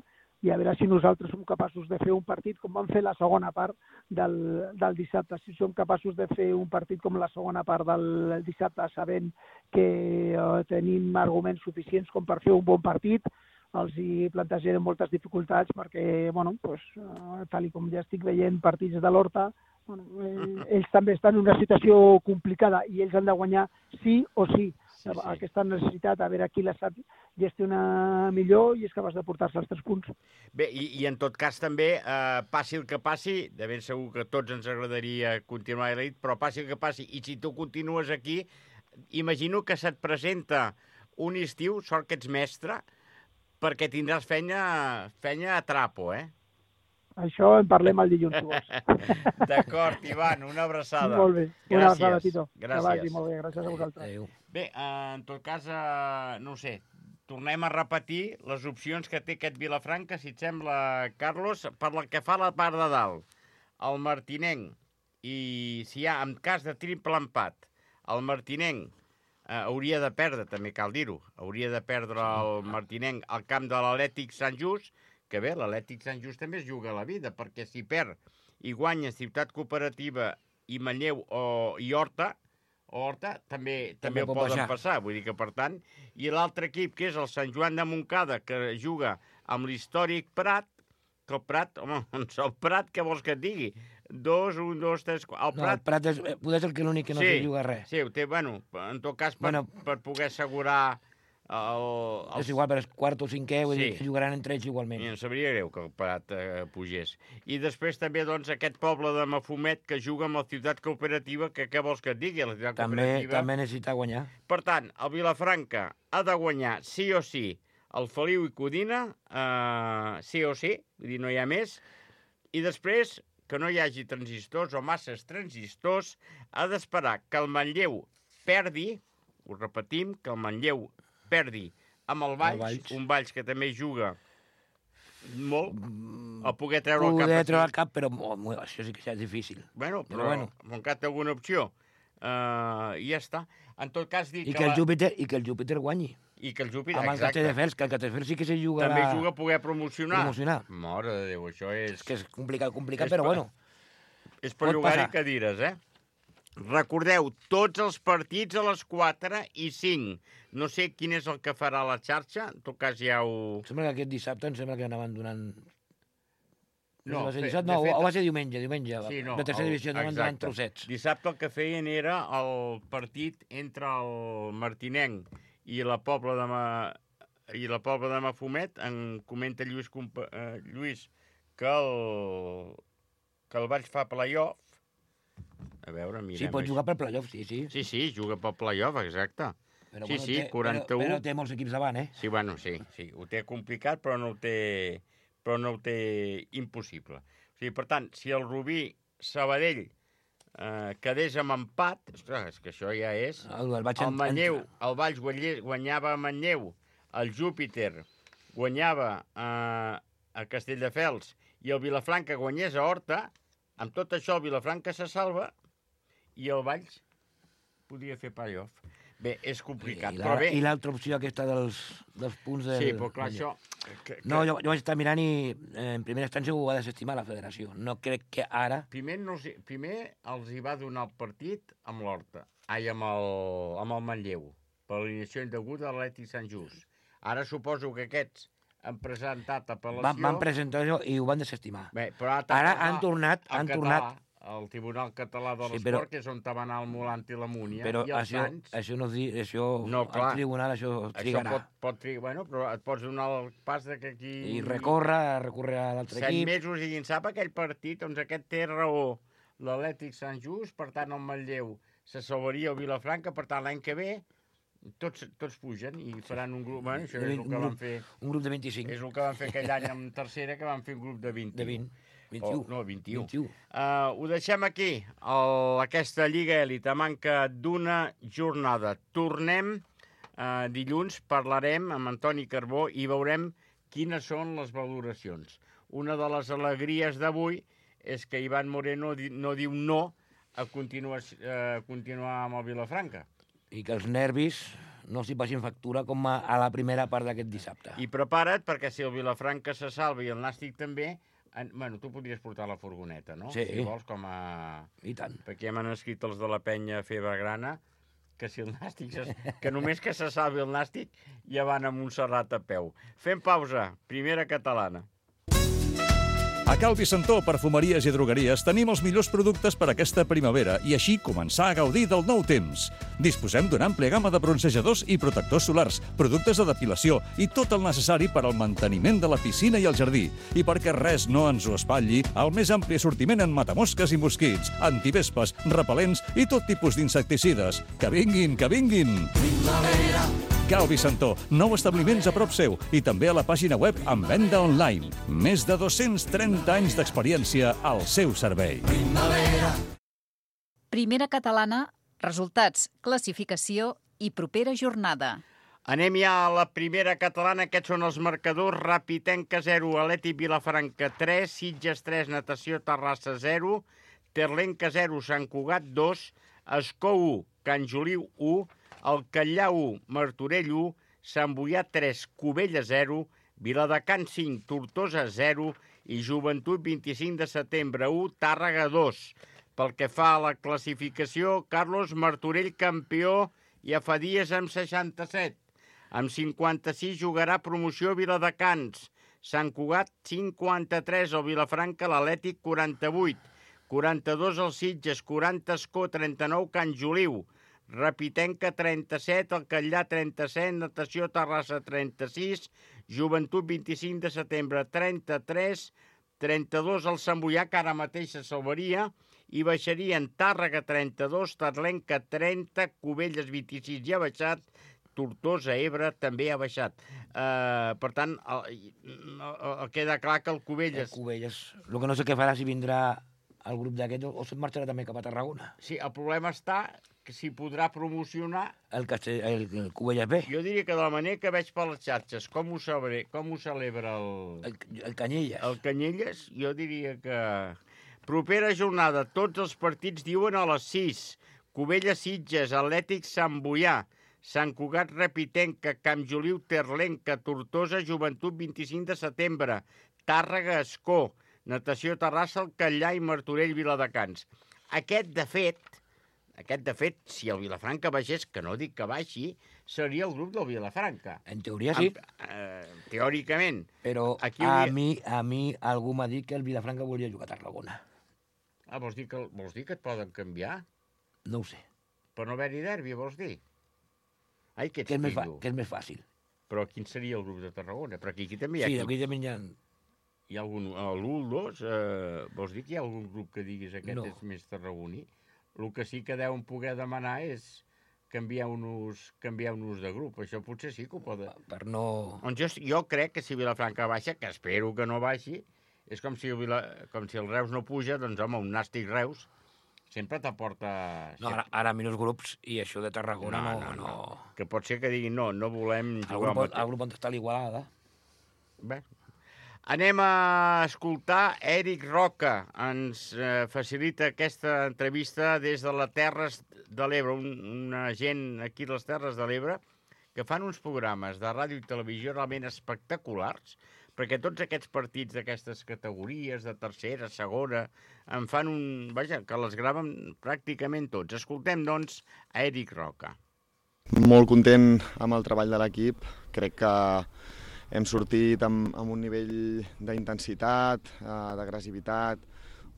i a veure si nosaltres som capaços de fer un partit com vam fer la segona part del, del dissabte. Si som capaços de fer un partit com la segona part del dissabte, sabent que uh, tenim arguments suficients com per fer un bon partit, els hi plantejarem moltes dificultats perquè, bueno, pues, uh, tal com ja estic veient partits de l'Horta, bueno, eh, ells també estan en una situació complicada i ells han de guanyar sí o sí. Sí, sí. Aquesta necessitat, a veure qui la sap gestionar millor i és capaç de portar-se els tres punts. Bé, i, i en tot cas també, eh, passi el que passi, de ben segur que a tots ens agradaria continuar a l'elit, però passi el que passi, i si tu continues aquí, imagino que se't presenta un estiu, sort que ets mestre, perquè tindràs feina, feina a trapo, eh? Això en parlem el dilluns, si vols. D'acord, Ivan, una abraçada. Molt bé, una gràcies. abraçada, Tito. Gràcies. Que vagi molt bé, gràcies a vosaltres. Adéu. Bé, en tot cas, eh, no ho sé, tornem a repetir les opcions que té aquest Vilafranca, si et sembla, Carlos, per la que fa la part de dalt. El Martinenc, i si hi ha, en cas de triple empat, el Martinenc eh, hauria de perdre, també cal dir-ho, hauria de perdre el Martinenc al camp de l'Atlètic Sant Just, que bé, l'Atlètic Sant Just també es juga la vida, perquè si perd i guanya Ciutat Cooperativa i Manlleu o, i Horta, Horta també, també, també ho poden passar. passar, vull dir que per tant, i l'altre equip, que és el Sant Joan de Montcada, que juga amb l'històric Prat, que el Prat, home, doncs el Prat, què vols que et digui? Dos, un, dos, tres, quatre... El no, Prat... el Prat és, poder ser que l'únic que no sí, se juga res. Sí, ho té, bueno, en tot cas, per, bueno, per poder assegurar... El, el... És igual, però és quart o cinquè, vull sí. dir que jugaran entre ells igualment. I em sabria greu que el Prat eh, pugés. I després també, doncs, aquest poble de Mafumet que juga amb la Ciutat Cooperativa, que què vols que et digui? La Ciutat també, Cooperativa... També necessita guanyar. Per tant, el Vilafranca ha de guanyar sí o sí el Feliu i Codina, eh, sí o sí, vull dir, no hi ha més. I després, que no hi hagi transistors o masses transistors, ha d'esperar que el Manlleu perdi, ho repetim, que el Manlleu perdi amb el Valls, el Valls, un Valls que també juga molt, a poder treure poder el cap. Poder treure el cap, però oh, això sí que és difícil. Bueno, però, però bueno. Montcat té alguna opció. Uh, I ja està. En tot cas, dic I que, que, la... el Júpiter, I que el Júpiter guanyi. I que el Júpiter, amb el Castelldefels, que el Castelldefels sí que se jugarà... També juga a poder promocionar. Promocionar. Mare de Déu, això és... És que és complicat, complicat, és però per... bueno. És per llogar-hi cadires, eh? Recordeu, tots els partits a les quatre i cinc. No sé quin és el que farà la xarxa, en tot cas ja ho... Em sembla que aquest dissabte em sembla que anaven donant... No, va ser fe, dissabte, no fet... o va ser diumenge, diumenge. Sí, no, de tercera el... divisió anaven donant trossets. Dissabte el que feien era el partit entre el Martinenc i la Pobla de, Ma... i la Pobla de Mafumet, en comenta Lluís, eh, Lluís que el, que el Valls fa play-off. A veure, mirem... Sí, pot jugar per play-off, sí, sí. Sí, sí, juga pel play-off, exacte. Però, sí, bueno, sí, té, quaranta-u... Però, però té molts equips davant, eh? Sí, bueno, sí, sí, ho té complicat, però no ho té, però no ho té impossible. O sigui, per tant, si el Rubí Sabadell eh, quedés amb empat, ostres, és que això ja és... El, el, el Manlleu, el Valls guanyava a Manlleu, el Júpiter guanyava eh, a Castelldefels i el Vilafranca guanyés a Horta, amb tot això el Vilafranca se salva i el Valls podria fer play-off. Bé, és complicat, I, però bé... I l'altra opció aquesta dels, dels punts del... Sí, però clar, això... Que, que... No, jo, jo vaig estar mirant i eh, en primera instància ho va desestimar la federació. No crec que ara... Primer, no els, primer els hi va donar el partit amb l'Horta, ai, amb el, amb el Manlleu, per l'alineació indeguda de l'Atlètic Sant Just. Ara suposo que aquests han presentat apel·lació... Van, van presentar això i ho van desestimar. Bé, però ara, ara han tornat... Han català, tornat... el Tribunal Català de Sí, l'Esport, però, que és on va anar el Molant i la Múnia, però i els això, Sants... això no es diu... Això, no, clar, el tribunal això trigarà. Això pot, pot trigar, bueno, però et pots donar el pas de que aquí... I recorre, recorre a l'altre equip... Set mesos i qui en sap aquell partit, doncs aquest té raó l'Atlètic Sant Just, per tant el Manlleu se salvaria el Vilafranca, per tant l'any que ve tots, tots pugen i faran un grup... Bueno, això és el que un van fer... Un grup de vint-i-cinc. És el que van fer aquell any en tercera, que van fer un grup de vint. De vint. vint-i-u. Oh, no, vint-i-u. vint-i-u. Uh, ho deixem aquí, el, aquesta Lliga Elit, a manca d'una jornada. Tornem uh, dilluns, parlarem amb Antoni Carbó i veurem quines són les valoracions. Una de les alegries d'avui és que Ivan Moreno di, no diu no a continuar, uh, continuar amb el Vilafranca. I que els nervis no s'hi passin factura com a, a la primera part d'aquest dissabte. I prepara't, perquè si el Vilafranca se salva i el Nàstic també... En, bueno, tu podries portar la furgoneta, no? Sí. Si vols, com a... I tant. Perquè ja m'han escrit els de la penya Febergrana que si el Nàstic... Se... que només que se salvi el Nàstic ja van a Montserrat a peu. Fem pausa. Primera catalana. A Cal Vicentó, perfumeries i drogueries, tenim els millors productes per aquesta primavera i així començar a gaudir del nou temps. Disposem d'una àmplia gamma de bronzejadors i protectors solars, productes de depilació i tot el necessari per al manteniment de la piscina i el jardí. I perquè res no ens ho espatlli, el més ampli assortiment en matamosques i mosquits, antivespes, repel·lents i tot tipus d'insecticides. Que vinguin, que vinguin! Primavera! Cal Vicentó, nou establiments a prop seu i també a la pàgina web amb venda online. Més de dos-cents trenta anys d'experiència al seu servei. Primavera. Primera catalana, resultats, classificació i propera jornada. Anem ja a la primera catalana. Aquests són els marcadors. Rapitenca zero, Atlètic Vilafranca tres, Sitges tres, Natació Terrassa zero, Terlenca zero, Sant Cugat dos, Escó u, Can Joliu u, el Catllà u, Martorell u, Sant Boià tres, Cubella zero, Viladecans cinc, Tortosa zero i Joventut vint-i-cinc de setembre u, Tàrrega dos. Pel que fa a la classificació, Carlos Martorell campió ja fa dies amb seixanta-set. Amb cinquanta-sis jugarà promoció Viladecans. Sant Cugat cinquanta-tres, el Vilafranca, l'Atlètic quaranta-vuit. quaranta-dos el Sitges, quaranta Escó, trenta-nou Can Joliu. Rapitenca trenta-set, el Catllà trenta-set, Natació Terrassa trenta-sis, Joventut vint-i-cinc de setembre trenta-tres, trenta-dos el Sant Boià, que ara mateix se salvaria, i baixarien Tàrrega trenta-dos, Terlenca trenta, Cubelles vint-i-sis ja ha baixat, Tortosa, Ebre també ha baixat. Uh, per tant, el, el, queda clar que el Cubelles... El Cubelles. El que no sé què farà si vindrà el grup d'aquest o se'n marxarà també cap a Tarragona. Sí, el problema està que s'hi podrà promocionar... El, Castell, el, el Cubelles B. Jo diria que de la manera que veig per les xarxes, com ho, sabré, com ho celebra el... El, el Canyelles. El Canyelles, jo diria que... Propera jornada, tots els partits diuen a les sis. Cubella Sitges, Atlètic Sant Boià, Sant Cugat Rapitenca, Camp Joliu Terlenca, Tortosa Joventut vint-i-cinc de setembre, Tàrrega Escó, Natació Terrassa, el Catllà i Martorell Viladecans. Aquest, de fet, aquest, de fet, si el Vilafranca baixés, que no dic que baixi, seria el grup del Vilafranca. En teoria sí. En, eh, teòricament. Però Aquí a, hauria... mi, a mi algú m'ha dit que el Vilafranca volia jugar a Tarragona. Ah, vols dir, que, vols dir que et poden canviar? No ho sé. Per no haver-hi derbi, vols dir? Ai, que ets Que és, més fa, pillo. que és més fàcil. Però quin seria el grup de Tarragona? Però aquí, aquí també hi ha... Sí, equips. aquí també hi ha... Hi ha algun... L'u, el dos, eh, vols dir que hi ha algun grup que diguis aquest No. és més tarragoní? El que sí que deuen poder demanar és canviar-nos canviar de grup. Això potser sí que ho poden. Per no... Doncs jo, jo crec que si Vilafranca baixa, que espero que no baixi, és com si el, Vila, com si el Reus no puja, doncs home, un nàstic Reus sempre t'aporta... No, ara, ara menys grups i això de Tarragona no... no, no, no. Que pot ser que diguin no, no volem El jugar grup, amb el grup on està l'Igualada. Bé. Anem a escoltar Eric Roca. Ens eh, facilita aquesta entrevista des de les Terres de l'Ebre, un, una gent aquí a les Terres de l'Ebre que fan uns programes de ràdio i televisió realment espectaculars, perquè tots aquests partits d'aquestes categories, de tercera, segona, en fan un... Vaja, que les graven pràcticament tots. Escoltem, doncs, a Eric Roca. Molt content amb el treball de l'equip. Crec que hem sortit amb, amb un nivell d'intensitat, eh, d'agressivitat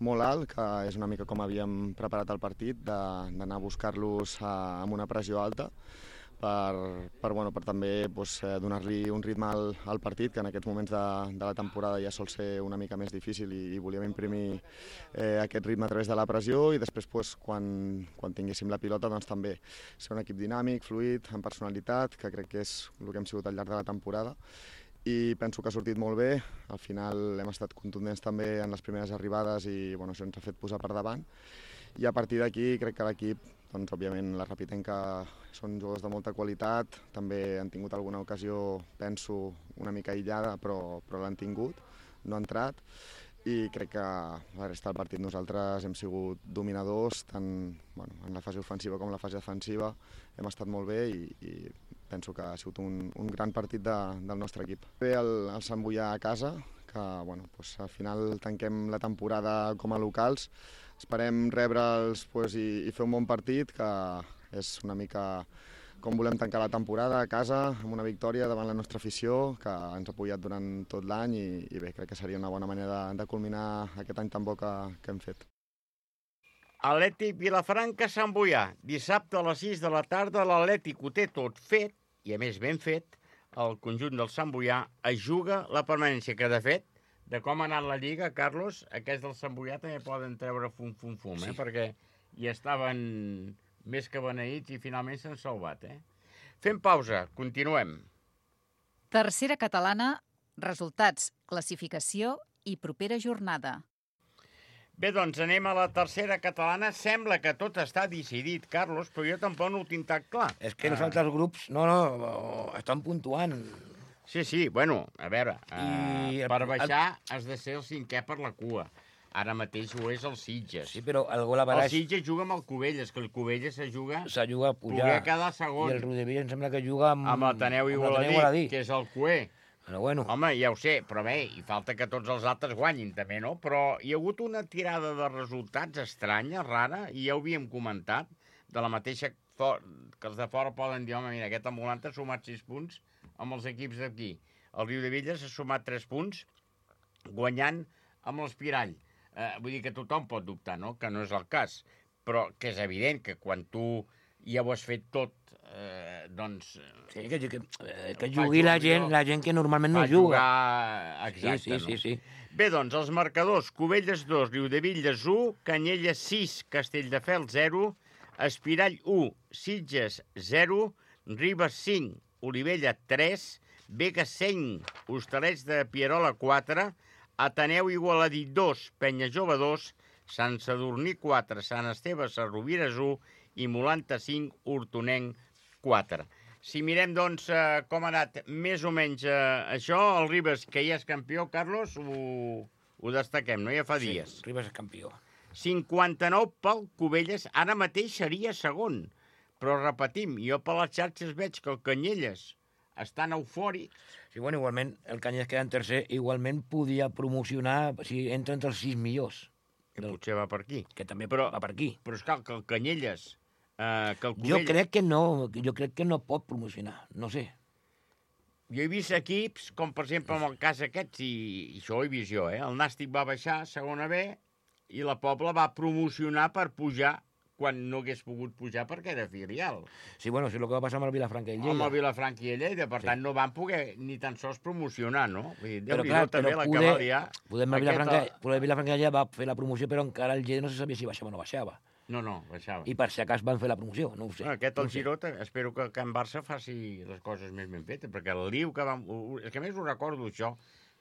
molt alt, que és una mica com havíem preparat el partit, d'anar a buscar-los eh, amb una pressió alta, per, per, bueno, per també pues, eh, donar-li un ritme al, al partit, que en aquests moments de, de la temporada ja sol ser una mica més difícil i, i volíem imprimir eh, aquest ritme a través de la pressió i després pues, quan, quan tinguéssim la pilota doncs, també ser un equip dinàmic, fluid, amb personalitat, que crec que és el que hem sigut al llarg de la temporada. I penso que ha sortit molt bé. Al final hem estat contundents també en les primeres arribades i bueno, això ens ha fet posar per davant. I a partir d'aquí crec que l'equip, doncs, òbviament la Rapitenca són jugadors de molta qualitat, també han tingut alguna ocasió, penso, una mica aïllada, però, però l'han tingut, no ha entrat. I crec que la resta del partit nosaltres hem sigut dominadors, tant bueno, en la fase ofensiva com en la fase defensiva. Hem estat molt bé i, i penso que ha sigut un, un gran partit de, del nostre equip. Bé, el, el Sant Boià a casa, que bueno, doncs, al final tanquem la temporada com a locals. Esperem rebre'ls doncs, i, i fer un bon partit, que és una mica com volem tancar la temporada a casa, amb una victòria davant la nostra afició, que ens ha apoyat durant tot l'any i, i bé, crec que seria una bona manera de, de culminar aquest any tan bo que, que hem fet. Atlètic Vilafranca Sant Boià. Dissabte a les sis de la tarda l'Atlètic ho té tot fet, i a més ben fet, el conjunt del Sant Boià es juga la permanència, que de fet, de com ha anat la Lliga, Carlos, aquests del Sant Boià també poden treure fum, fum, fum, eh? Sí. Perquè hi estaven més que beneïts i finalment s'han salvat, eh? Fem pausa, continuem. Tercera catalana, resultats, classificació i propera jornada. Bé, doncs anem a la tercera catalana. Sembla que tot està decidit, Carlos, però jo tampoc no ho tinc tan clar. És que els altres grups, no, no, estan puntuant. Sí, sí, bueno, a veure, I uh, per baixar has de ser el cinquè per la cua. Ara mateix ho és el Sitges. Sí, però el gol a baraix... El Sitges juga amb el Cubelles, que el Cubelles se juga... Se juga a pujar. Poder quedar segon. I el Rodevilla em sembla que juga amb... Amb l'Ateneu Igualadí, que és el cué. Però bueno. Home, ja ho sé, però bé, hi falta que tots els altres guanyin també, no? Però hi ha hagut una tirada de resultats estranya, rara, i ja ho havíem comentat, de la mateixa que els de fora poden dir, home, mira, aquest ambulant ha sumat sis punts amb els equips d'aquí. El Riudevilles ha sumat tres punts, guanyant amb l'Espirall. Eh, vull dir que tothom pot dubtar, no? Que no és el cas, però que és evident que quan tu ja ho has fet tot, eh, doncs... Sí, que, que, que jugui la gent, la gent que normalment no juga. Jugar... Exacte, sí, sí, no? sí, sí. Bé, doncs, els marcadors: Cubelles dos, Riudevilles u, Canyelles sis, Castelldefels zero, Espirall u, Sitges zero, Ribes cinc, Olivella tres, Vega cinc, Hostalets de Pierola quatre, Ateneu Igualadí dos, Penyajove dos, Sant Sadurní quatre, Sant Esteve Sarrovires u i Molanta cinc, Hortonenc quatre. Si mirem, doncs, eh, com ha anat més o menys eh, això, el Ribes, que ja és campió, Carlos, ho, ho destaquem, no? Ja fa dies. Sí, Ribes és campió. cinquanta-nou pel Cubelles, ara mateix seria segon. Però repetim, jo per les xarxes veig que el Canyelles estan eufòrics. Sí, bueno, igualment, el Canyelles queda en tercer, igualment podia promocionar, si entra entre els sis millors. Que potser va per aquí. Que també però, va per aquí. Però és clar, que el Canyelles... Eh, que el jo Cubelles... crec que no, jo crec que no pot promocionar, no sé. Jo he vist equips, com per exemple en el cas aquest, i, i això ho he vist jo, eh? El Nàstic va baixar a segona B i la Pobla va promocionar per pujar quan no hagués pogut pujar perquè era filial. Sí, bueno, és el que va passar amb el Vilafranca i Lleida. Amb el Vilafranca i Lleida, per Sí. tant, no van poder ni tan sols promocionar, no? Vull dir, Però Déu-n'hi-do clar, també però la que poder, valia... poder el Aquesta- Vilafranca, poder el Vilafranca i Lleida va fer la promoció, però encara el Lleida no se sabia si baixava o no baixava. No, no, baixava. I per si acas van fer la promoció, no ho sé. Bueno, aquest, no el ho sé. Giró, espero que el Can Barça faci les coses més ben fetes, perquè el liu que vam... És que a més ho recordo, això,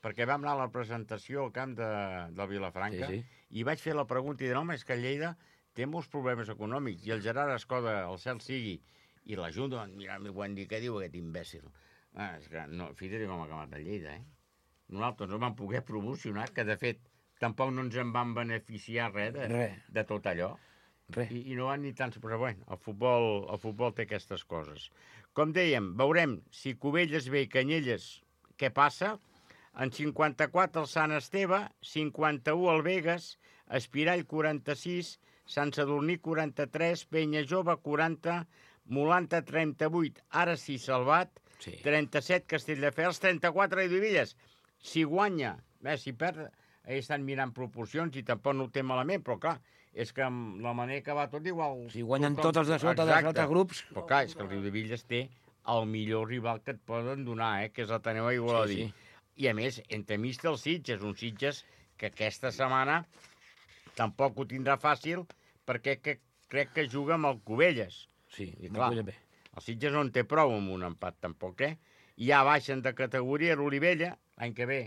perquè vam anar a la presentació al camp de, del Vilafranca Sí, i vaig fer la pregunta i dir, home, és que Lleida té molts problemes econòmics, i el Gerard Escoda, el cel sigui, i la Junta van mirar-me i van dir, què diu aquest imbècil? Ah, és que, no, fíjate com ha acabat el Lleida, eh? Nosaltres no vam poder promocionar, que de fet tampoc no ens en van beneficiar res de, Res. de tot allò. Res. I, i no van ni tant... Però bueno, el futbol, el futbol té aquestes coses. Com dèiem, veurem si Cubelles ve i Canyelles, què passa? En cinquanta-quatre el Sant Esteve, cinquanta-u el Begues, Espirall quaranta-sis, Sant Sadurní quaranta-tres, Penya Jove quaranta, Molanta trenta-vuit, ara sí Salvat, Sí. trenta-set Castelldefels, trenta-quatre Riudevilles. Si guanya, eh, si perd, ells estan mirant proporcions i tampoc no ho té malament, però clar, és que amb la manera que va tot igual... Si guanyen tothom- tots els de sota dels Exacte. altres grups... Però clar, és que el Riudevilles té el millor rival que et poden donar, eh, que és l'Ateneu Igualadí. Sí, sí. I a més, entremig té el Sitges, un Sitges que aquesta setmana tampoc ho tindrà fàcil perquè que, crec que juga amb el Cubelles. Sí, I no clar, puja bé. el Sitges no en té prou amb un empat tampoc, eh? Ja baixen de categoria l'Olivella, l'any que ve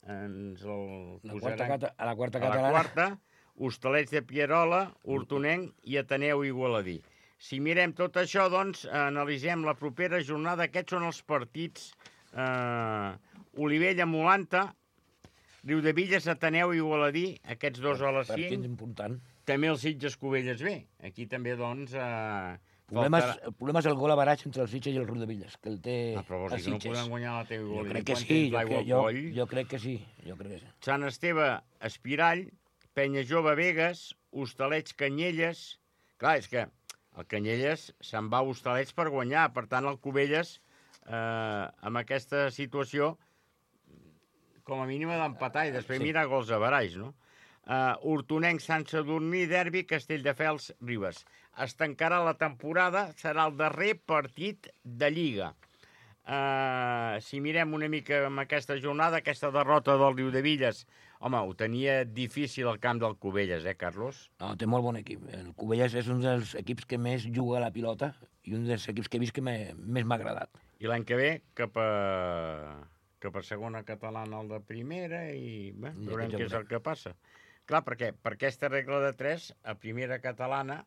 ens el La posaran quarta, cata, a la quarta a la catalana... quarta, Hostalets de Pierola, Hortonenc i Ateneu Igualadí. Si mirem tot això, doncs, analitzem la propera jornada. Aquests són els partits. Eh, Olivella, Molanta, Riudevilles, Ateneu Igualadí, aquests dos a les Partit cinc. important. També el Sitges Cubelles bé. Aquí també, doncs... Eh, El problema, és, faltarà- el problema és el gol a baratge entre el Sitges i el Riudevilles, que el té Ah, però vols el dir que no Sitges. poden guanyar la teva Jo Igualadí? crec que Quan sí, tens jo, l'aigua que, al jo, coll? jo crec que sí, jo crec que sí. Sant Esteve, Espirall, Penya Jove, Begues, Hostalets, Canyelles... Clar, és que el Canyelles se'n va a Hostalets per guanyar, per tant el Cubelles, eh, amb aquesta situació, com a mínim ha d'empatar i després Sí. sí. mirar gols a baraix, no? Uh, Hortonenc, Sant Sadurní, Derbi, Castelldefels, Ribes. Es tancarà la temporada, serà el darrer partit de Lliga. Uh, si mirem una mica amb aquesta jornada, aquesta derrota del Riudevilles, home, ho tenia difícil al camp del Cubelles, eh, Carlos? No, té molt bon equip. El Cubelles és un dels equips que més juga a la pilota i un dels equips que he vist que me, més m'ha agradat. I l'any que ve, cap a, cap a segona catalana al de primera i bé, I veurem aquest ja què és el veurem. que passa. Clar, perquè per aquesta regla de tres, a primera catalana,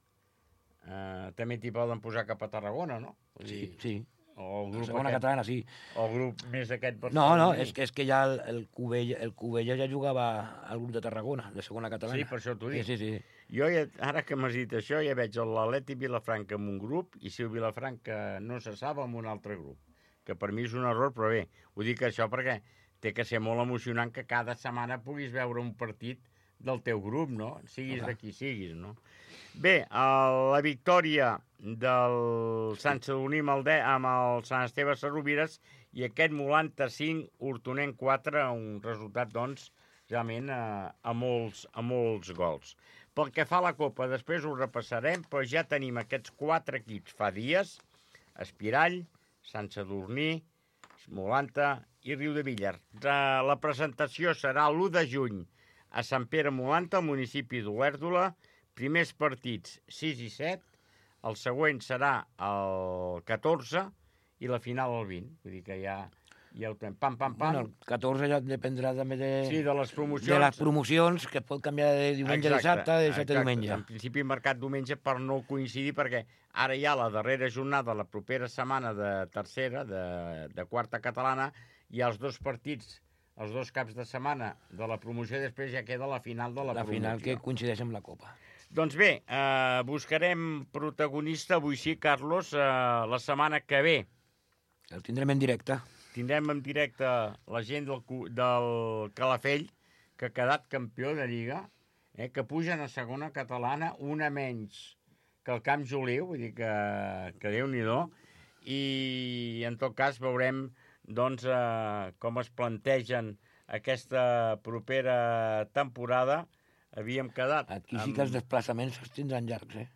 eh, també t'hi poden posar cap a Tarragona, no? Vull Sí, dir, sí. o el La grup, segona aquest, catalana, sí. o el grup més aquest... No, no, barceloní. és que, és que ja el, el, Cubella, el Cubella ja jugava al grup de Tarragona, de segona catalana. Sí, per això t'ho dic. Sí, sí, sí. Jo, ja, ara que m'has dit això, ja veig l'Atleti Vilafranca en un grup i si el Vilafranca no se sap, en un altre grup. Que per mi és un error, però bé, ho dic això perquè té que ser molt emocionant que cada setmana puguis veure un partit del teu grup, no? Siguis Clar. de qui siguis, no? Bé, el, la victòria del Sant Sadurní amb el, de, amb el Sant Esteve Sarrovires i aquest Molanta cinc, Hortonenc quatre, un resultat, doncs, realment a, a, molts, a molts gols. Pel que fa a la Copa, després ho repassarem, però ja tenim aquests quatre equips fa dies, Espirall, Sant Sadurní, Molanta i Riudevilles. La presentació serà l'u de juny a Sant Pere Molanta, al municipi d'Olèrdola. Primers partits sis i set, el següent serà el catorze i la final el vint. Vull dir que ja, ja ho tenim. Pam, pam, pam. Bueno, el catorze ja dependrà també de, Sí, de les promocions. de les promocions, que pot canviar de diumenge a dissabte, de dissabte a diumenge. En principi marcat diumenge per no coincidir, perquè ara hi ha la darrera jornada, la propera setmana de tercera, de, de quarta catalana, i els dos partits, els dos caps de setmana de la promoció, i després ja queda la final de la, La promoció. final que coincideix amb la Copa. Doncs bé, eh, buscarem protagonista avui sí, Carlos, eh, la setmana que ve. El tindrem en directe. Tindrem en directe la gent del, Cu- del Calafell, que ha quedat campió de Lliga, eh, que pugen a segona catalana, una menys que el Camp Joliu, vull dir que, que Déu-n'hi-do, i en tot cas veurem doncs, eh, com es plantegen aquesta propera temporada. Havíem quedat... Aquí sí que els desplaçaments es tindran llargs, eh?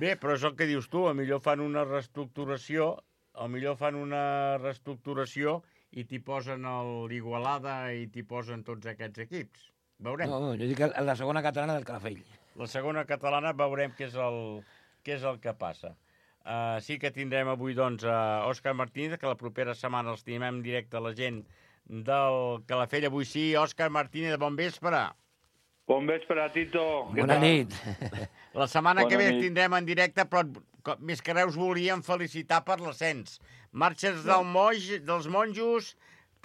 Bé, però és el que dius tu, a millor fan una reestructuració, a millor fan una reestructuració i t'hi posen l'Igualada i t'hi posen tots aquests equips. Veurem. No, jo dic la segona catalana del Calafell. La segona catalana veurem què és el, què és el que passa. Uh, sí que tindrem avui, doncs, a Òscar Martínez, que la propera setmana els tenim en directe a la gent del Calafell. Avui sí, Òscar Martínez, bon vespre. Bon vespre, Tito. Bona nit. La setmana Bona que ve nit. tindrem en directe, però més que res us volíem felicitar per l'ascens. Marxes del Moix, dels monjos,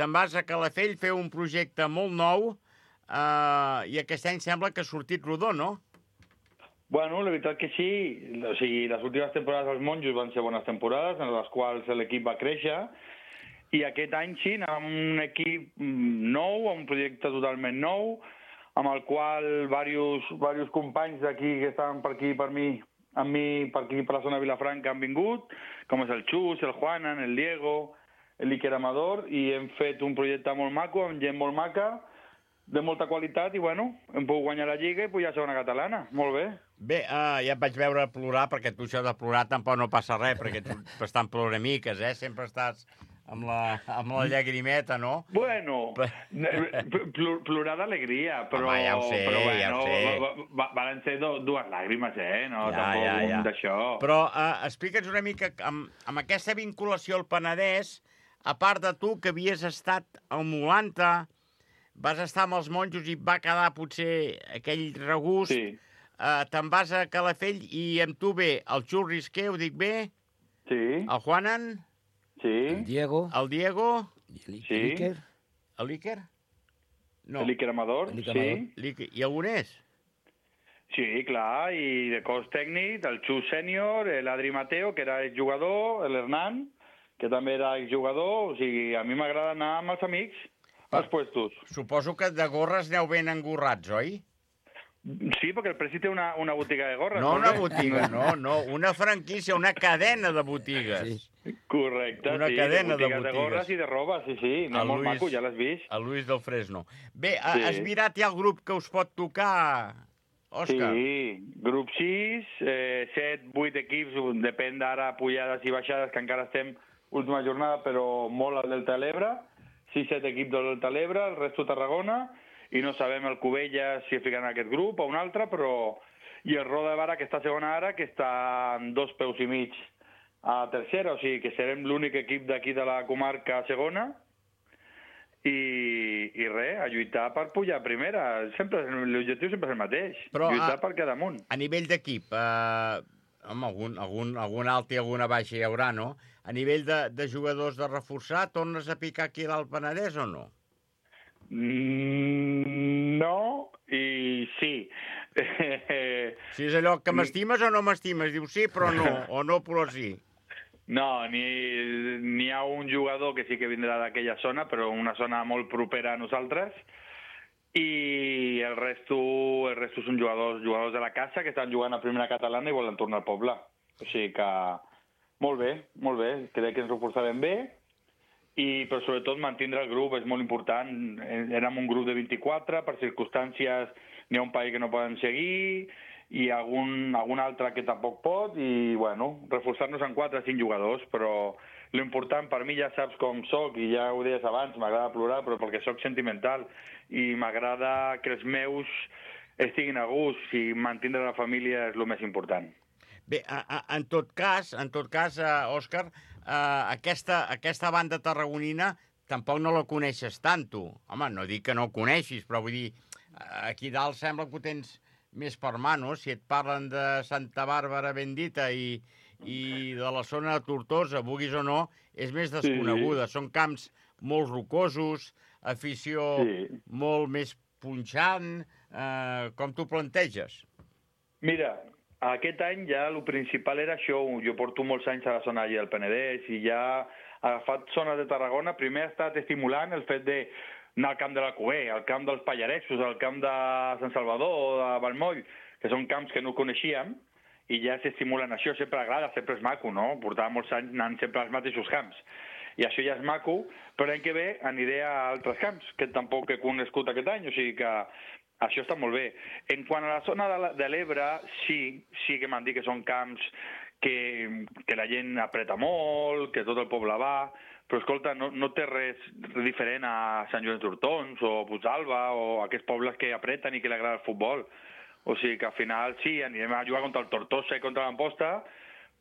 te'n vas a Calafell, fer un projecte molt nou, uh, i aquest any sembla que ha sortit rodó, no? Bueno, la veritat que sí. O sigui, les últimes temporades dels monjos van ser bones temporades, en les quals l'equip va créixer, i aquest any sí, anàvem amb un equip nou, amb un projecte totalment nou, amb el qual diversos, diversos companys d'aquí que estaven per aquí, per mi, amb mi, per aquí, per la zona de Vilafranca, han vingut, com és el Xus, el Juanan, el Diego, l'Iker Amador, i hem fet un projecte molt maco, amb gent molt maca, de molta qualitat, i bueno, hem pogut guanyar la Lliga i pujar a segona catalana. Molt bé. Bé, uh, ja et vaig veure plorar, perquè tu això de plorar tampoc no passa res, perquè tu bastant ploramiques, eh? Sempre estàs amb la, amb la llagrimeta, no? Bueno, pl plorar d'alegria, però... Home, ja ho sé, però, bueno, ja ho sé. Va, va, van ser do, dues làgrimes, eh? No, Ja, tampoc ja, ja. d'això. Però uh, explica'ns una mica, amb, amb aquesta vinculació al Penedès, a part de tu, que havies estat al Molanta, vas estar amb els monjos i et va quedar potser aquell regust, Sí, uh, te'n vas a Calafell i amb tu ve el Xus Risqué, ho dic bé, sí, el Juanan, sí. El Diego, el Diego, i Sí. l'Iker. l'Iker? No, L'Iker Amador, L'Iker sí. Amador. l'Iker. I algun és? Sí, clar, i de cos tècnic, el Xus sènior, l'Adri Mateo, que era exjugador, l'Hernan, que també era exjugador, o sigui, a mi m'agrada anar amb els amics als puestos. Suposo que de gorres aneu ben engorrats, oi? Sí, perquè el Presi té una, una botiga de gorres. No molt una bé. botiga, no, no, una franquícia, una cadena de botigues. Sí. Correcte, Una sí, cadena de de botigues de, botigues. gorres i de roba, sí, sí, no, El molt Luis- maco, ja l'has vist. El Luis del Fresno. Bé, sí. Sí. has mirat ja el grup que us pot tocar, Òscar? Sí, grup sis, eh, set, vuit equips, depèn d'ara pujades i baixades, que encara estem última jornada, però molt al Delta de l'Ebre, sis, set equips del Delta de l'Ebre, el resto Tarragona, i no sabem el Cubelles si ficaran en aquest grup o un altre, però... I el Roda de Barà, que està a segona ara, que està en dos peus i mig a tercera, o sigui que serem l'únic equip d'aquí de la comarca a segona, i, i res, a lluitar per pujar a primera. Sempre, l'objectiu sempre és el mateix, Però, lluitar ah, per quedar amunt. A nivell d'equip, eh, home, algun, algun, algun alt i alguna baixa hi haurà, no? A nivell de, de jugadors de reforçar, tornes a picar aquí l'Alt Penedès o no? Mm, no, i sí. Si és allò que m'estimes o no m'estimes, dius sí però no, o no però sí. No, ni n'hi ha un jugador que sí que vindrà d'aquella zona, però una zona molt propera a nosaltres, i el resto, el resto són jugadors, jugadors de la casa que estan jugant a primera catalana i volen tornar al poble. O sigui que molt bé, molt bé, crec que ens reforçarem bé, i però sobretot mantindre el grup és molt important. Érem un grup de vint-i-quatre, per circumstàncies n'hi ha un país que no poden seguir, i algun, algun altre que tampoc pot, i, bueno, reforçar-nos en quatre o cinc jugadors, però l'important per mi ja saps com soc, i ja ho deies abans, m'agrada plorar, però perquè soc sentimental, i m'agrada que els meus estiguin a gust, i mantindre la família és el més important. Bé, a, a, en tot cas, en tot cas, uh, Òscar, uh, aquesta, aquesta banda tarragonina tampoc no la coneixes tant, tu. Home, no dic que no ho coneixis, però vull dir, aquí dalt sembla que ho tens més per mà, no? Si et parlen de Santa Bàrbara Bendita i, i de la zona de Tortosa, vulguis o no, és més desconeguda. Sí. Són camps molt rocosos, afició sí. molt més punxant. Eh, com t'ho planteges? Mira, aquest any ja el principal era això. Jo porto molts anys a la zona allà del Penedès i ja ha agafat zones de Tarragona. Primer ha estat estimulant el fet de anar al camp de la Cuber, al camp dels Pallaresos, al camp de Sant Salvador o de Valmoll, que són camps que no coneixíem, i ja s'estimulen això, sempre agrada, sempre és maco, no? Portava molts anys anant sempre als mateixos camps. I això ja és maco, però l'any que ve aniré a altres camps, que tampoc he conegut aquest any, o sigui que Això està molt bé. En quant a la zona de l'Ebre, sí, sí que m'han dit que són camps que, que la gent apreta molt, que tot el poble va, però escolta, no, no té res diferent a Sant Joan d'Hortons o Puigdàlber o aquests pobles que apreten i que li agrada el futbol. O sigui que al final sí, anirem a jugar contra el Tortosa i contra l'Amposta,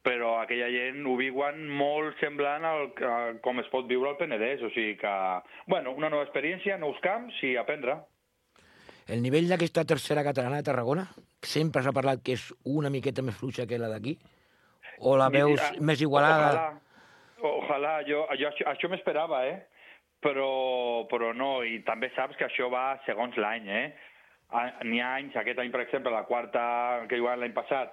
però aquella gent ho viuen molt semblant al, a com es pot viure al Penedès. O sigui que, bueno, una nova experiència, nous camps i aprendre. El nivell d'aquesta tercera catalana de Tarragona sempre s'ha parlat que és una miqueta més fluixa que la d'aquí? O la veus Mira, més igualada? Ojalà, ojalà jo, jo això, això m'esperava, eh? Però, però no, i també saps que això va segons l'any, eh? N'hi ha anys, aquest any, per exemple, la quarta que jugàvem l'any passat,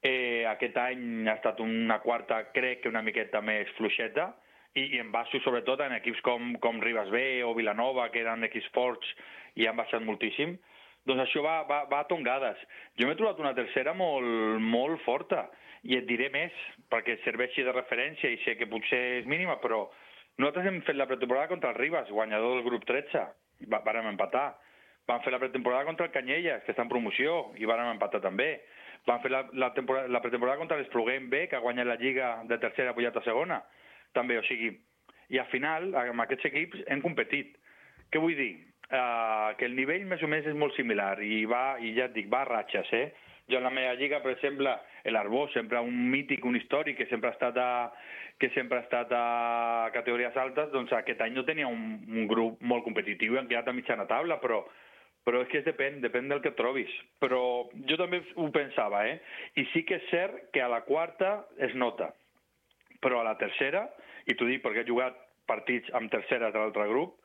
eh, aquest any ha estat una quarta, crec que una miqueta més fluixeta, i, i en baixo sobretot en equips com, com Ribes B o Vilanova, que eren equips forts i han baixat moltíssim, doncs això va, va, va a tongades. Jo m'he trobat una tercera molt, molt forta, i et diré més, perquè serveixi de referència i sé que potser és mínima, però nosaltres hem fet la pretemporada contra el Ribes, guanyador del grup tretze, i vàrem empatar. Vam fer la pretemporada contra el Canyelles, que està en promoció, i vàrem empatar també. Vam fer la, la, la pretemporada contra l'Espluguem B, que ha guanyat la Lliga de tercera pujat a segona, també, o sigui, i al final, amb aquests equips hem competit. Què vull dir? Uh, que el nivell més o menys és molt similar i va, i ja et dic, va a ratxes, eh? Jo en la meva lliga, per exemple, l'Arbós, sempre un mític, un històric, que sempre ha estat a, que sempre ha estat a categories altes, doncs aquest any no tenia un, un grup molt competitiu i han quedat a mitjana taula, però, però és que depèn, depèn del que trobis. Però jo també ho pensava, eh? I sí que és cert que a la quarta es nota, però a la tercera, i t'ho dic perquè he jugat partits amb terceres de l'altre grup,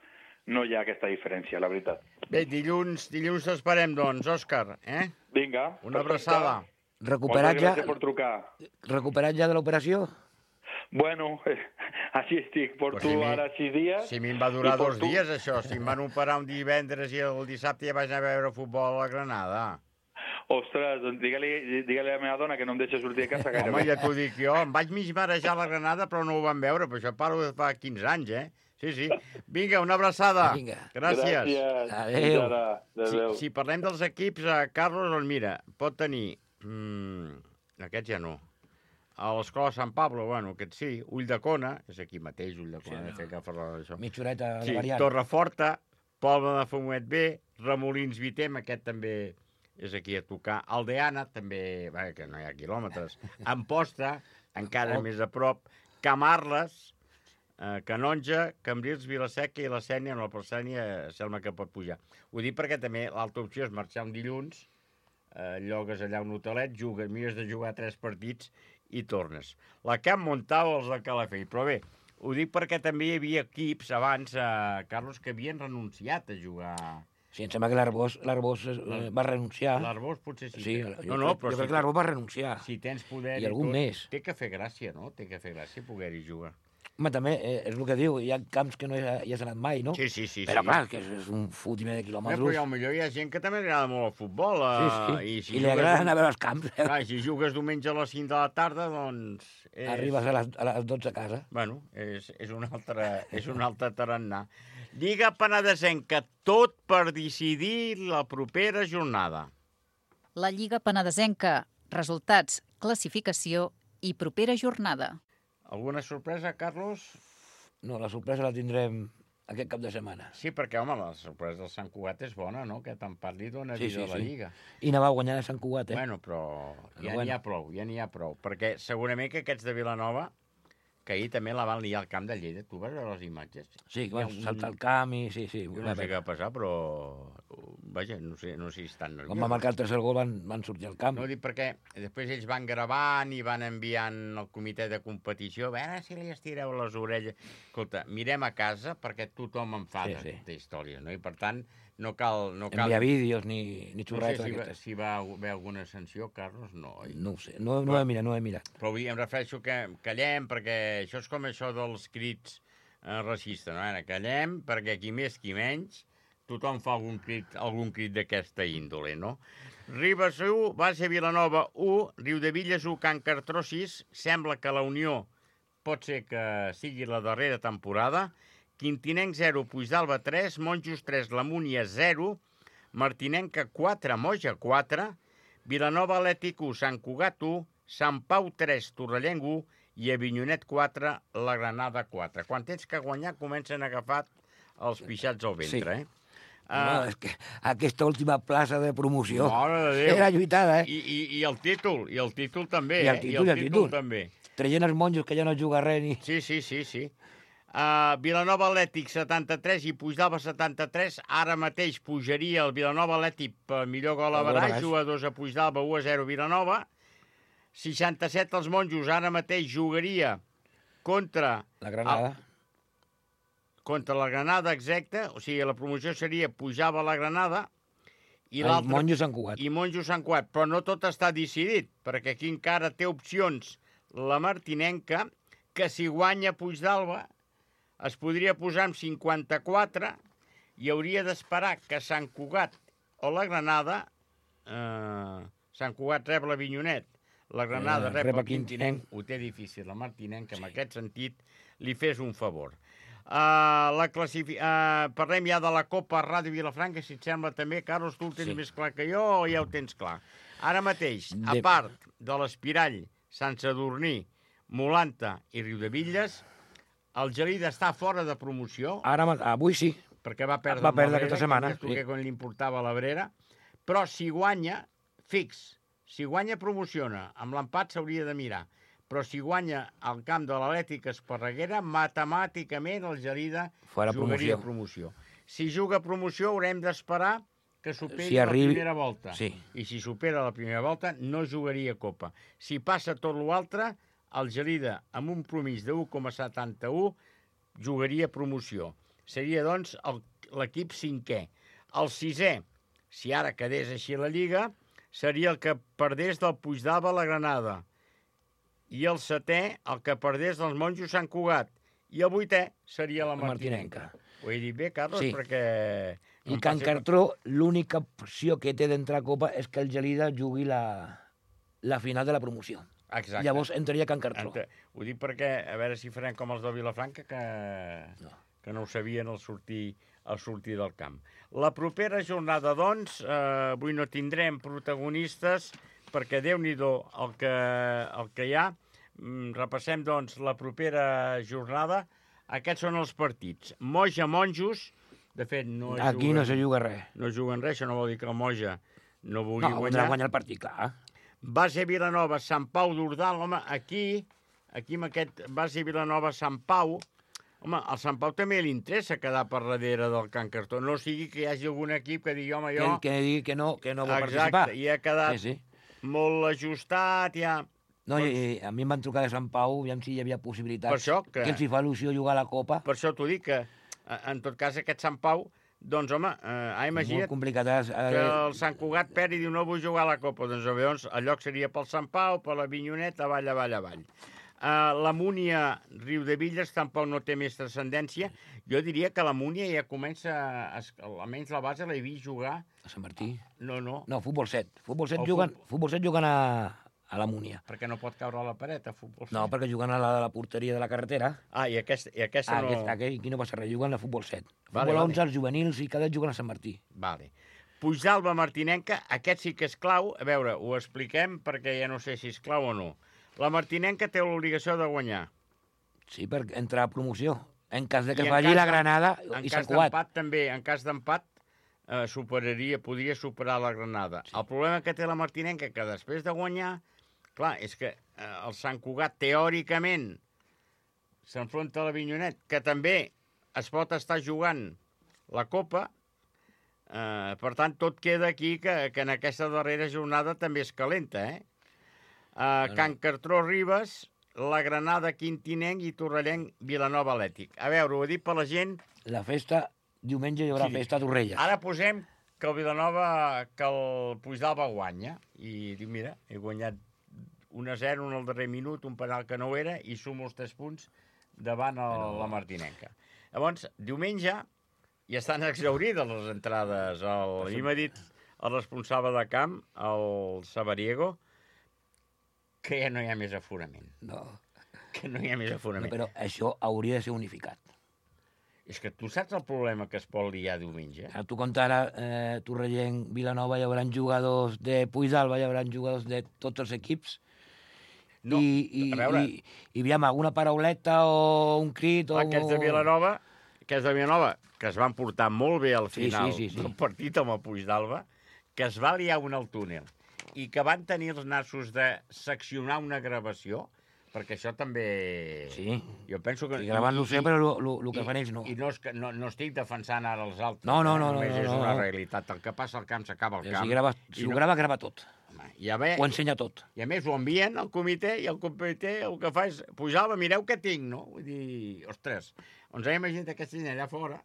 no hi ha aquesta diferència, la veritat. Bé, dilluns, dilluns t'esperem, doncs, Òscar, eh? Vinga. Una abraçada. Recuperat ja, Moltes gràcies per trucar. recuperat ja de l'operació? Bueno, eh, així estic. Porto si mi, ara sis dies. Si a mi em va durar dos porto... dies, això. Si em van operar un divendres i el dissabte ja vaig anar a veure futbol a la Granada. Ostres, doncs digue-li digue a la meva dona que no em deixa sortir de casa gairebé. Home, ja t'ho dic jo. Em vaig mig marejar a la Granada, però no ho van veure. Però això parlo de fa quinze anys, eh? Sí, sí. Vinga, una abraçada. Vinga. Gràcies. Gràcies. Adéu. Si, si parlem dels equips, eh, Carlos, doncs mira, pot tenir... Mm, aquest ja no. A l'Escola Sant Pablo, bueno, aquest sí. Ulldecona, és aquí mateix, Ulldecona, sí, no. Fer que parlar d'això. Mitja horeta de Sí, variant. Torreforta, Poble de Fumet B, Remolins Vitem, aquest també és aquí a tocar. Aldeana, també, bé, que no hi ha quilòmetres. Amposta, encara Oh. més a prop. Camarles, eh, Canonja, Cambrils, Vilaseca i la Sènia, no, per Sènia sembla que pot pujar. Ho dic perquè també l'altra opció és marxar un dilluns, eh, llogues allà un hotelet, jugues, mires de jugar tres partits i tornes. La Camp Montau, els de Calafell. Però bé, ho dic perquè també hi havia equips abans, eh, Carlos, que havien renunciat a jugar. Sí, em sembla que l'Arbós l'Arbós eh, va renunciar. L'Arbós potser sí. Sí, que... jo, no, no, crec, però jo si crec que l'Arbós va renunciar. Si tens poder I algun tot, més. Té que fer gràcia, no? Té que fer gràcia poder-hi jugar. Home, també eh, és el que diu, hi ha camps que no hi ha, hi has anat mai, no? Sí, sí, sí. Però sí. clar, que és, és un fotiment de Bé, quilòmetres. però potser hi ha gent que també li agrada molt el futbol. Eh? Sí, sí. I, si I li agrada anar a veure els camps. Eh? Clar, si jugues diumenge a les cinc de la tarda, doncs... És... Arribes a les, a les dotze a casa. Bueno, és, és un altre, és un altre tarannà. Lliga Penedesenca, tot per decidir la propera jornada. La Lliga Penedesenca, resultats, classificació i propera jornada. Alguna sorpresa, Carlos? No, la sorpresa la tindrem aquest cap de setmana. Sí, perquè, home, la sorpresa del Sant Cugat és bona, no? Que tant parli dona Sí, vida sí, a la sí. Lliga. I anava guanyant a Sant Cugat, eh? Bueno, però ja Però n'hi bueno. ha prou, ja n'hi ha prou. Perquè segurament que aquests de Vilanova, que ahir també la van liar al camp de Lleida, tu vas veure les imatges? Sí, que Hi ha van un- saltar el camp i... Sí, sí. Jo no sé què va passar, però... Vaja, no sé, no sé si estan nerviosos. Quan va marcar el tercer gol van, van sortir al camp. No ho dic perquè després ells van gravant i van enviant al comitè de competició a veure si li estireu les orelles. Escolta, mirem a casa perquè tothom en fa Sí, de, sí. de història, no? I per tant, no cal... No cal... Enviar vídeos ni, ni No sé xurretes si va, aquestes. si va haver alguna sanció, Carlos, no. oi? No ho sé, no, no ho he mirat, no ho he mirat. Però vull dir, em refereixo que callem, perquè això és com això dels crits eh, racistes, no? Ara, callem, perquè qui més, qui menys, tothom fa algun crit, algun crit d'aquesta índole, no? Ribes u, base Vilanova u, Riudevilles u, Can Cartró sis, sembla que la Unió pot ser que sigui la darrera temporada, Quintinenc zero, Puigdàlber tres, Monjos tres, La Múnia zero, Martinenca quatre, Moja quatre, Vilanova Atlètic u, Sant Cugat u, Sant Pau tres, Torrellenc u i Avinyonet quatre, la Granada quatre. Quan tens que guanyar comencen a agafar els pixats al ventre, Sí. eh? No, Uh, és que aquesta última plaça de promoció Mare de Déu. era lluitada, eh? i, i, I el títol, i el títol també, I el eh? títol, I i el el títol títol. també. Traient els monjos que ja no juga res ni... Sí, sí, sí, sí. Uh, Vilanova Atlètic setanta-tres i Puigdàlber setanta-tres. Ara mateix pujaria el Vilanova Atlètic per millor gol a El gol a Baraix, Baraix. u a dos a Puigdàlber, u a zero Vilanova. seixanta-set els monjos, ara mateix jugaria contra... La Granada. El, contra la Granada, exacte. O sigui, la promoció seria pujava la Granada i El l'altre... monjo Sant Cugat. I Monjo Sant Cugat, però no tot està decidit, perquè aquí encara té opcions la Martinenca, que si guanya Puigdàlber es podria posar amb cinquanta-quatre i hauria d'esperar que Sant Cugat o la Granada, eh, Sant Cugat rep l'Avinyonet, la Granada Eh, rep, rep el el Quintinenc, Quintinenc. ho té difícil, la Martinenca, en aquest sentit, li fes un favor. Uh, la classifi... uh, parlem ja de la Copa Ràdio Vilafranca, si et sembla també. Carlos, tu el tens Sí. més clar que jo o ja ho tens clar? Ara mateix, a De- part de l'Espirall, Sant Sadurní, Molanta i Riudebitlles, el Gelida està fora de promoció, Ara, ma- avui sí. perquè va perdre, va amb perdre l'Abrera, aquesta setmana, que dius tu sí. que quan li importava l'Abrera, però si guanya, fix, si guanya promociona, amb l'empat s'hauria de mirar, però si guanya al camp de l'Atlètic Esparreguera, matemàticament el Gelida Fora jugaria promoció. promoció. Si juga promoció haurem d'esperar que superi Si arribi- la primera volta. sí. I si supera la primera volta no jugaria Copa. Si passa tot l'altre, el Gelida, amb un promís de u coma setanta-u, jugaria promoció. Seria, doncs, el- l'equip cinquè. El sisè, si ara quedés així la Lliga, seria el que perdés del Puigdàlber a la Granada. I el setè, el que perdés dels monjos Sant Cugat. I el vuitè seria la La Martinenca. Martinenca. Ho he dit bé, Carlos? Sí. Perquè... I em Can passi- Cartró, l'única opció que té d'entrar a Copa és que el Gelida jugui la, la final de la promoció. Exacte. Llavors entraria Can Cartró. Ente... Ho dic perquè, a veure si farem com els de Vilafranca, que no, que no ho sabien al sortir, al sortir del camp. La propera jornada, doncs, eh, avui no tindrem protagonistes, perquè Déu-n'hi-do el, que, el que hi ha. Mm, repassem, doncs, la propera jornada. Aquests són els partits. Moja Monjos, de fet, no es Aquí juguen, no se juga res. no juguen res, això no vol dir que el Moja no vulgui No, guanyar. no guanyar el partit, clar. Base Vilanova, Sant Pau d'Ordal, home, aquí, aquí amb aquest base Vilanova, Sant Pau, home, al Sant Pau també li interessa quedar per darrere del Can Cartró, no sigui que hi hagi algun equip que digui, home, jo... Que, que digui que no, que no vol Exacte, participar. i ha quedat Sí, sí. molt ajustat, ja... No, i, i a mi em van trucar de Sant Pau, aviam si hi havia possibilitats. Per això que- Que els hi fa il·lusió jugar a la Copa. Per això t'ho dic, que eh, en tot cas aquest Sant Pau, doncs, home, eh, ha imagina't Molt complicat. Eh? que el Sant Cugat perd i diu no vull jugar a la Copa. Doncs llavors el lloc seria pel Sant Pau, per l'Avinyonet, avall, avall, avall. Uh, la Múnia Riudebitlles tampoc no té més transcendència. Jo diria que la Múnia ja comença, a, almenys la base l'he vist jugar... A Sant Martí. No, no, No, futbol set. Futbol set, El juguen, futbol- futbol set juguen a, a la Múnia. perquè no pot caure a la paret a futbol. No, perquè juguen a la, a la porteria de la carretera. Ah, i aquesta, i aquesta Ah, no... aquest, aquell, aquí no passa res, juguen a futbol set. Vale, Futbol vale. onze, els juvenils i cadets juguen a Sant Martí. Vale. Puigdàlber Martinenca, aquest sí que és clau. A veure, ho expliquem perquè ja no sé si és clau o no. La Martinenca té l'obligació de guanyar. Sí, per entrar a promoció. En cas de que I en falli cas la de- Granada En i cas Sant Cugat. d'empat també, en cas d'empat eh, superaria, podria superar la Granada. Sí. El problema que té la Martinenca, que després de guanyar, clar, és que eh, el Sant Cugat teòricament s'enfronta a l'Avinyonet, que també es pot estar jugant la Copa, eh, per tant, tot queda aquí que, que en aquesta darrera jornada també és calenta, eh? Uh, Can Cartró Ribes, la Granada Quintinenc i Torrellenc Vilanova Atlètic. A veure, ho he dit per la gent. La festa, diumenge hi haurà Sí. festa a Torrelles. Ara posem que el Vilanova, que el Puigdàlber guanya. I diu, mira, he guanyat un a zero en el darrer minut, un penal que no ho era, i sumo els tres punts davant el, Però... la Martinenca. Llavors, diumenge, ja estan exaurides les entrades. El, a mi m'ha dit el responsable de camp, el Sabariego, que ja no hi ha més aforament. No. Que no hi ha més no, aforament. però això hauria de ser unificat. És que tu saps el problema que es pot liar diumenge? A tu compta ara, eh, Torrellent, Vilanova, hi haurà jugadors de Puigdalba, hi haurà jugadors de tots els equips. No, I, i, a veure... I, i aviam, alguna parauleta o un crit... O... Aquests de Vilanova, aquests de Vilanova, que es van portar molt bé al final sí, sí, sí, sí. del partit amb el Puigdalba, que es va liar un al túnel i que van tenir els nassos de seccionar una gravació, perquè això també... Sí, jo penso que... I gravant-lo sempre, el que fan ells no. I no, és que, no, no estic defensant ara els altres. No, no, no. Només no, no, és no, una no. realitat. El que passa al camp s'acaba al camp. Si, grava, si ho no... grava, grava tot. Home, i a veure, ho ensenya tot. I a més ho envien al comitè i el comitè el que fa és pujar-la, mireu què tinc, no? Vull dir, ostres, ens hem imaginat aquesta gent allà fora,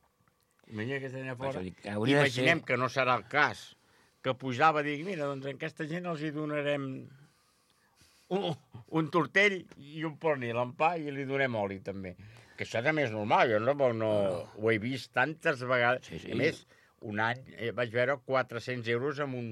imagina aquesta gent allà fora, dir, imaginem ser... que no serà el cas, que pujava i dic, mira, doncs a aquesta gent els hi donarem un, un tortell i un pernil en pa i li donem oli, també. Que això també és normal, jo no, no, no. ho he vist tantes vegades. Sí, sí. A més, un any eh, vaig veure quatre-cents euros amb un,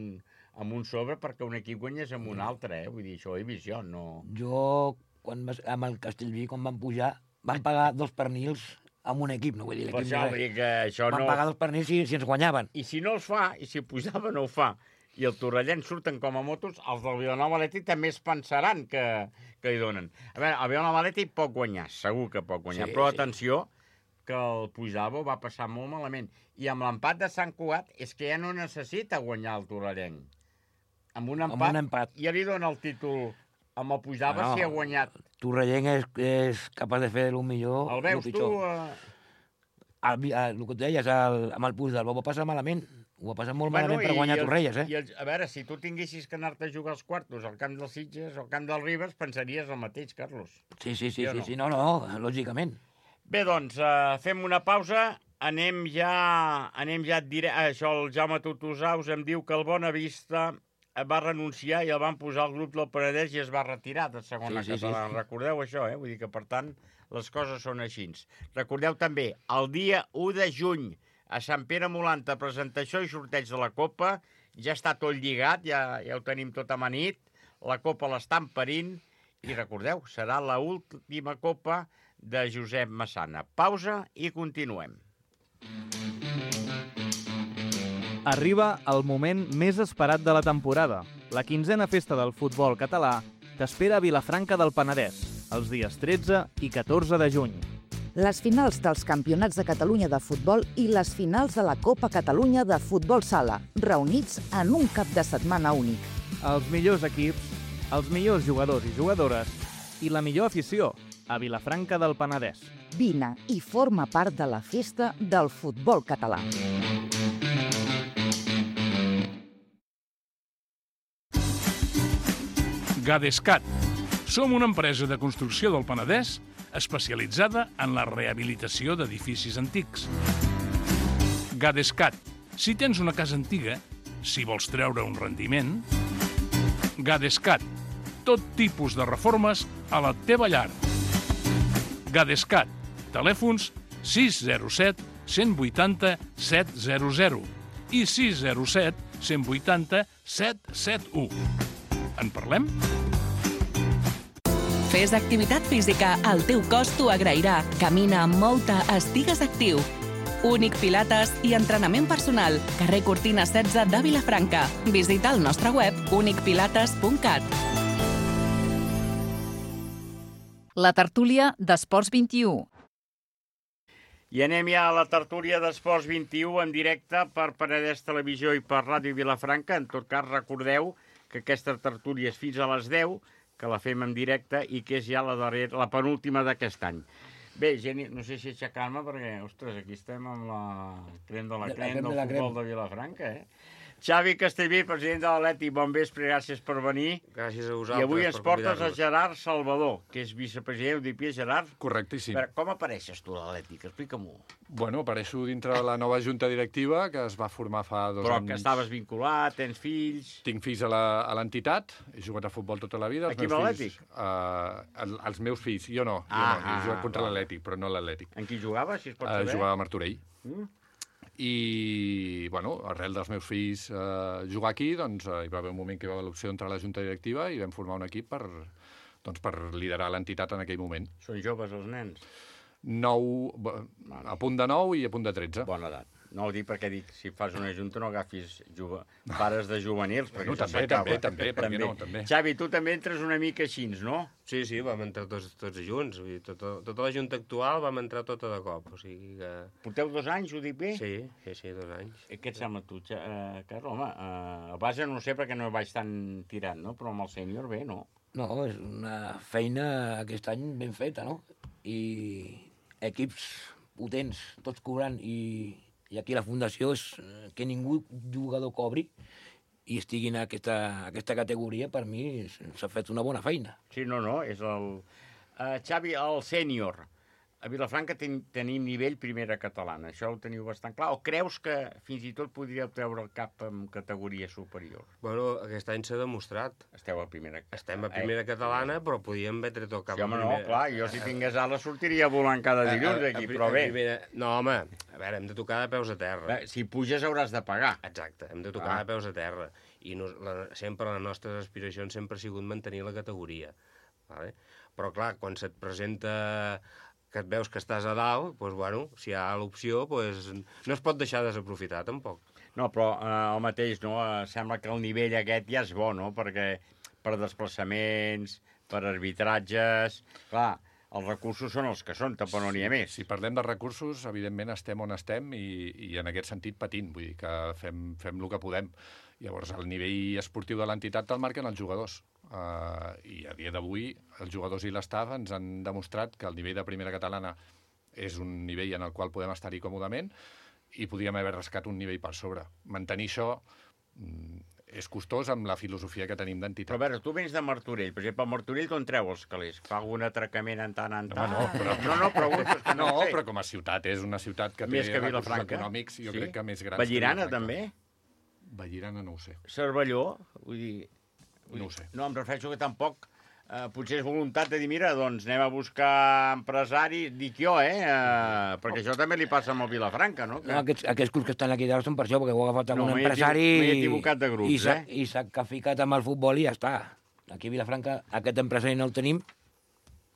amb un sobre perquè un equip guanyés amb un altre, eh? Vull dir, això ho he vist jo, no... Jo, quan vas, amb el Castellví, quan van pujar, van pagar dos pernils amb un equip, no vull dir l'equip. Per això, vull dir que això van no... pagar dos pernils si, si ens guanyaven. I si no els fa, i si pujava no ho fa, i el Torrellent surten com a motos, els del Vilanova Atlètic també es pensaran que, que li donen. A veure, el Vilanova Atlètic pot guanyar, segur que pot guanyar, sí, però sí. atenció, que el Puigdàlber va passar molt malament. I amb l'empat de Sant Cugat és que ja no necessita guanyar el Torrellent. Amb un empat, amb un empat. ja li dona el títol amb el Puigdàlber no, si ha guanyat. Torrellent és, és capaç de fer el millor, el veus el pitjor. tu? Uh... El, el, el que et deies, el, amb el Puigdàlber va passar malament. Ho va passar molt bueno, malament per guanyar el, Torrelles, eh? I el, a veure, si tu tinguessis que anar-te a jugar als quartos al camp dels Sitges o al camp del Ribes, pensaries el mateix, Carlos. Sí, sí, sí, sí, no? sí, no, no, lògicament. Bé, doncs, uh, fem una pausa, anem ja, anem ja dire... Això, el Jaume Tutusaus em diu que el Bonavista va renunciar i el van posar al grup del Penedès i es va retirar de segona sí, sí, catalana. Sí, sí. Recordeu això, eh? Vull dir que, per tant, les coses són així. Recordeu també, el dia u de juny, a Sant Pere Molanta, presentació i sorteig de la Copa, ja està tot lligat, ja, ja ho tenim tot amanit, la Copa l'estan parint, i recordeu, serà l'última Copa de Josep Massana. Pausa i continuem. Arriba el moment més esperat de la temporada. La quinzena festa del futbol català t'espera a Vilafranca del Penedès, els dies tretze i catorze de juny. Les finals dels Campionats de Catalunya de futbol i les finals de la Copa Catalunya de futbol sala, reunits en un cap de setmana únic. Els millors equips, els millors jugadors i jugadores i la millor afició a Vilafranca del Penedès. Vine i forma part de la festa del futbol català. Gadescat. Som una empresa de construcció del Penedès especialitzada en la rehabilitació d'edificis antics. Gadescat. Si tens una casa antiga, si vols treure un rendiment... Gadescat. Tot tipus de reformes a la teva llar. Gadescat. Telèfons sis zero set, cent vuitanta, set zero zero i sis zero set, cent vuitanta, set set u. En parlem? Fes activitat física, el teu cos t'ho agrairà. Camina, mou-te, estigues actiu. Únic Pilates i entrenament personal. Carrer Cortina setze de Vilafranca. Visita el nostre web únic pilates punt cat. La tertúlia d'Esports vint-i-u. I anem ja a la tertúlia d'Esports vint-i-u en directe per Penedès Televisió i per Ràdio Vilafranca. En tot cas, recordeu que aquesta tertúlia és fins a les deu, que la fem en directe i que és ja la, darrera, la penúltima d'aquest any. Bé, Geni, no sé si aixecar-me perquè, ostres, aquí estem amb la crem de la crem del futbol de Vilafranca, eh? Xavi Castellví, president de l'Atlètic, bon vespre, gràcies per venir. Gràcies a vosaltres. I avui ens portes a Gerard Salvador, que és vicepresident, ho dic bé, Gerard? Correctíssim. Però com apareixes tu a l'Atlètic? Explica-m'ho. Bueno, apareixo dintre de la nova junta directiva que es va formar fa dos Però anys. Però que estaves vinculat, tens fills... Tinc fills a l'entitat, he jugat a futbol tota la vida. Aquí a l'Atlètic? Uh, el, els meus fills, jo no, jo ah, no, he jugat contra l'Atlètic, però no l'Atlètic. En qui jugava, si es pot saber? Uh, jugava a Martorell. Mm. I, bueno, arrel dels meus fills eh, jugar aquí, doncs eh, hi va haver un moment que hi va haver l'opció d'entrar a la junta directiva i vam formar un equip per, doncs, per liderar l'entitat en aquell moment. Són joves els nens? nou, a punt de nou i a punt de tretze. Bona edat. No ho dic perquè dic, si fas una junta no agafis juve... pares de juvenils, perquè Bueno, això també, s'acaba. també, també, per què no, també. Xavi, tu també entres una mica així, no? Sí, sí, vam entrar tots, tots junts. Vull dir, tota, tota la junta actual vam entrar tota de cop. O sigui que... Porteu dos anys, ho dic bé? Sí, sí, sí, dos anys. I què et sembla tu, Xa- eh, Carles? Home, eh, a base no sé perquè no vaig tan tirant, no? Però amb el sènior bé, no? No, és una feina aquest any ben feta, no? I equips potents, tots cobrant, i, i aquí la fundació és que ningú jugador cobri i estigui en aquesta, aquesta categoria, per mi s'ha fet una bona feina. Sí, no, no, és el... Uh, Xavi, el sènior. A Vilafranca ten, tenim nivell primera catalana, això ho teniu bastant clar? O creus que fins i tot podríeu treure el cap en categoria superior? Bueno, aquest any s'ha demostrat. Esteu a primera... Estem a primera catalana, però podíem haver tret el cap Sí, home, a no, primera. clar, jo si tingués ales sortiria volant cada dilluns aquí, però bé. Primera... No, home, a veure, hem de tocar de peus a terra. Bé, si puges hauràs de pagar. Exacte, hem de tocar Ah. de peus a terra. I no, la, sempre les nostres aspiracions sempre ha sigut mantenir la categoria. Vale? Però, clar, quan se't presenta que et veus que estàs a dalt, doncs, bueno, si hi ha l'opció, doncs, no es pot deixar desaprofitar, tampoc. No, però eh, el mateix, no? Eh, sembla que el nivell aquest ja és bo, no? Perquè per desplaçaments, per arbitratges... Clar, els recursos són els que són, tampoc no n'hi ha més. Si parlem de recursos, evidentment estem on estem i, i en aquest sentit patint, vull dir que fem, fem el que podem. Llavors, el nivell esportiu de l'entitat te'l marquen els jugadors. Uh, I a dia d'avui, els jugadors i l'estaf ens han demostrat que el nivell de primera catalana és un nivell en el qual podem estar-hi còmodament i podríem haver rascat un nivell per sobre. Mantenir això mm, és costós amb la filosofia que tenim d'entitat. Però a veure, tu vens de Martorell. Per exemple, a Martorell d'on treu els calés? Fa algun atracament en tant en tant? No, no, però, no, no, pregunto, és que no, no, ho sé. però com a ciutat és una ciutat que Més té que recursos Vilafranca? econòmics, jo Sí? crec que més grans. Vallirana, que Vilafranca. també? Vallirana no ho sé. Cervelló? Vull dir... Vull No dir, ho sé. No, em refereixo que tampoc... Eh, potser és voluntat de dir, mira, doncs anem a buscar empresaris, dic jo, eh? eh perquè això també li passa amb el Vilafranca, no? Que... No, aquests, aquests clubs que estan aquí dalt són per això, perquè ho ha agafat No, algun m'he empresari equivo- m'he equivocat de grups, i s'ha eh? i s'ha que ha ficat amb el futbol i ja està. Aquí a Vilafranca aquest empresari no el tenim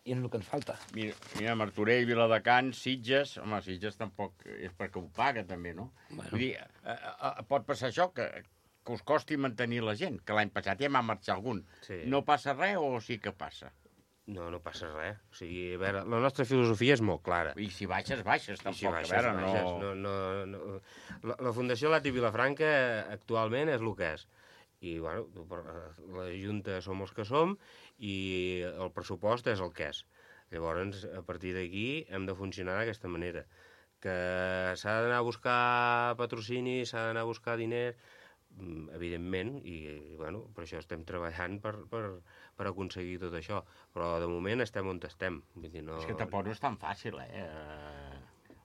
i és el que ens falta. Mira, mira Martorell, Viladecans, Sitges... Home, Sitges tampoc és perquè ho paga, també, no? Bueno. Vull dir, eh, eh, pot passar això, que, que us costi mantenir la gent, que l'any passat ja m'ha marxat algun. Sí. No passa res o sí que passa? No, no passa res. O sigui, a veure, la nostra filosofia és molt clara. I si baixes, baixes, tampoc. I si baixes, a veure, baixes. no... No, no, no... La, la Fundació Lati Vilafranca actualment és el que és. I, bueno, la Junta som els que som i el pressupost és el que és. Llavors, a partir d'aquí hem de funcionar d'aquesta manera. Que s'ha d'anar a buscar patrocini, s'ha d'anar a buscar diners, evidentment, i, i bueno, per això estem treballant per, per, per aconseguir tot això. Però de moment estem on estem. Vull dir, no... És que tampoc no és tan fàcil, eh?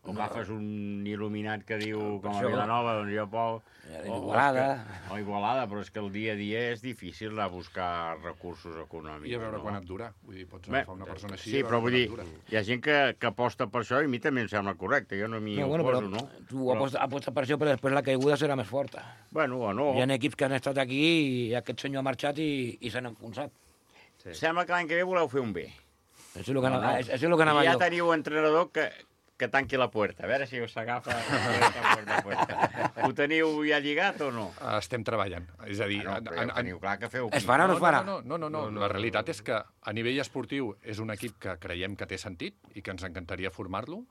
O agafes un il·luminat que diu, No, com a això- Vilanova, doncs jo puc... O Igualada. O Igualada, però és que el dia a dia és difícil anar a buscar recursos econòmics. I a veure no? quan et dura. Vull dir, pots Bé, agafar una persona així... sí, i a veure però vull quan dir, et dura. hi ha gent que, que aposta per això i a mi també em sembla correcte, jo no m'hi No, oposo, bueno, però no? tu Però- aposta, aposta per això, però després la caiguda serà més forta. Bueno, o no. Hi ha equips que han estat aquí i aquest senyor ha marxat i, i s'han enfonsat. Sí. Sembla que l'any que ve voleu fer un bé. Això és el que anava, això és el que anava I ja jo. teniu entrenador que, que tanqui la puerta. A veure si us agafa puerta, puerta, puerta. Ho teniu ja lligat o no? Estem treballant. És a dir... Ah, no, però ja ho teniu clar que feu... Es farà o no es farà? No, no, no, no, no. La realitat és que a nivell esportiu és un equip que creiem que té sentit i que ens encantaria formar-lo,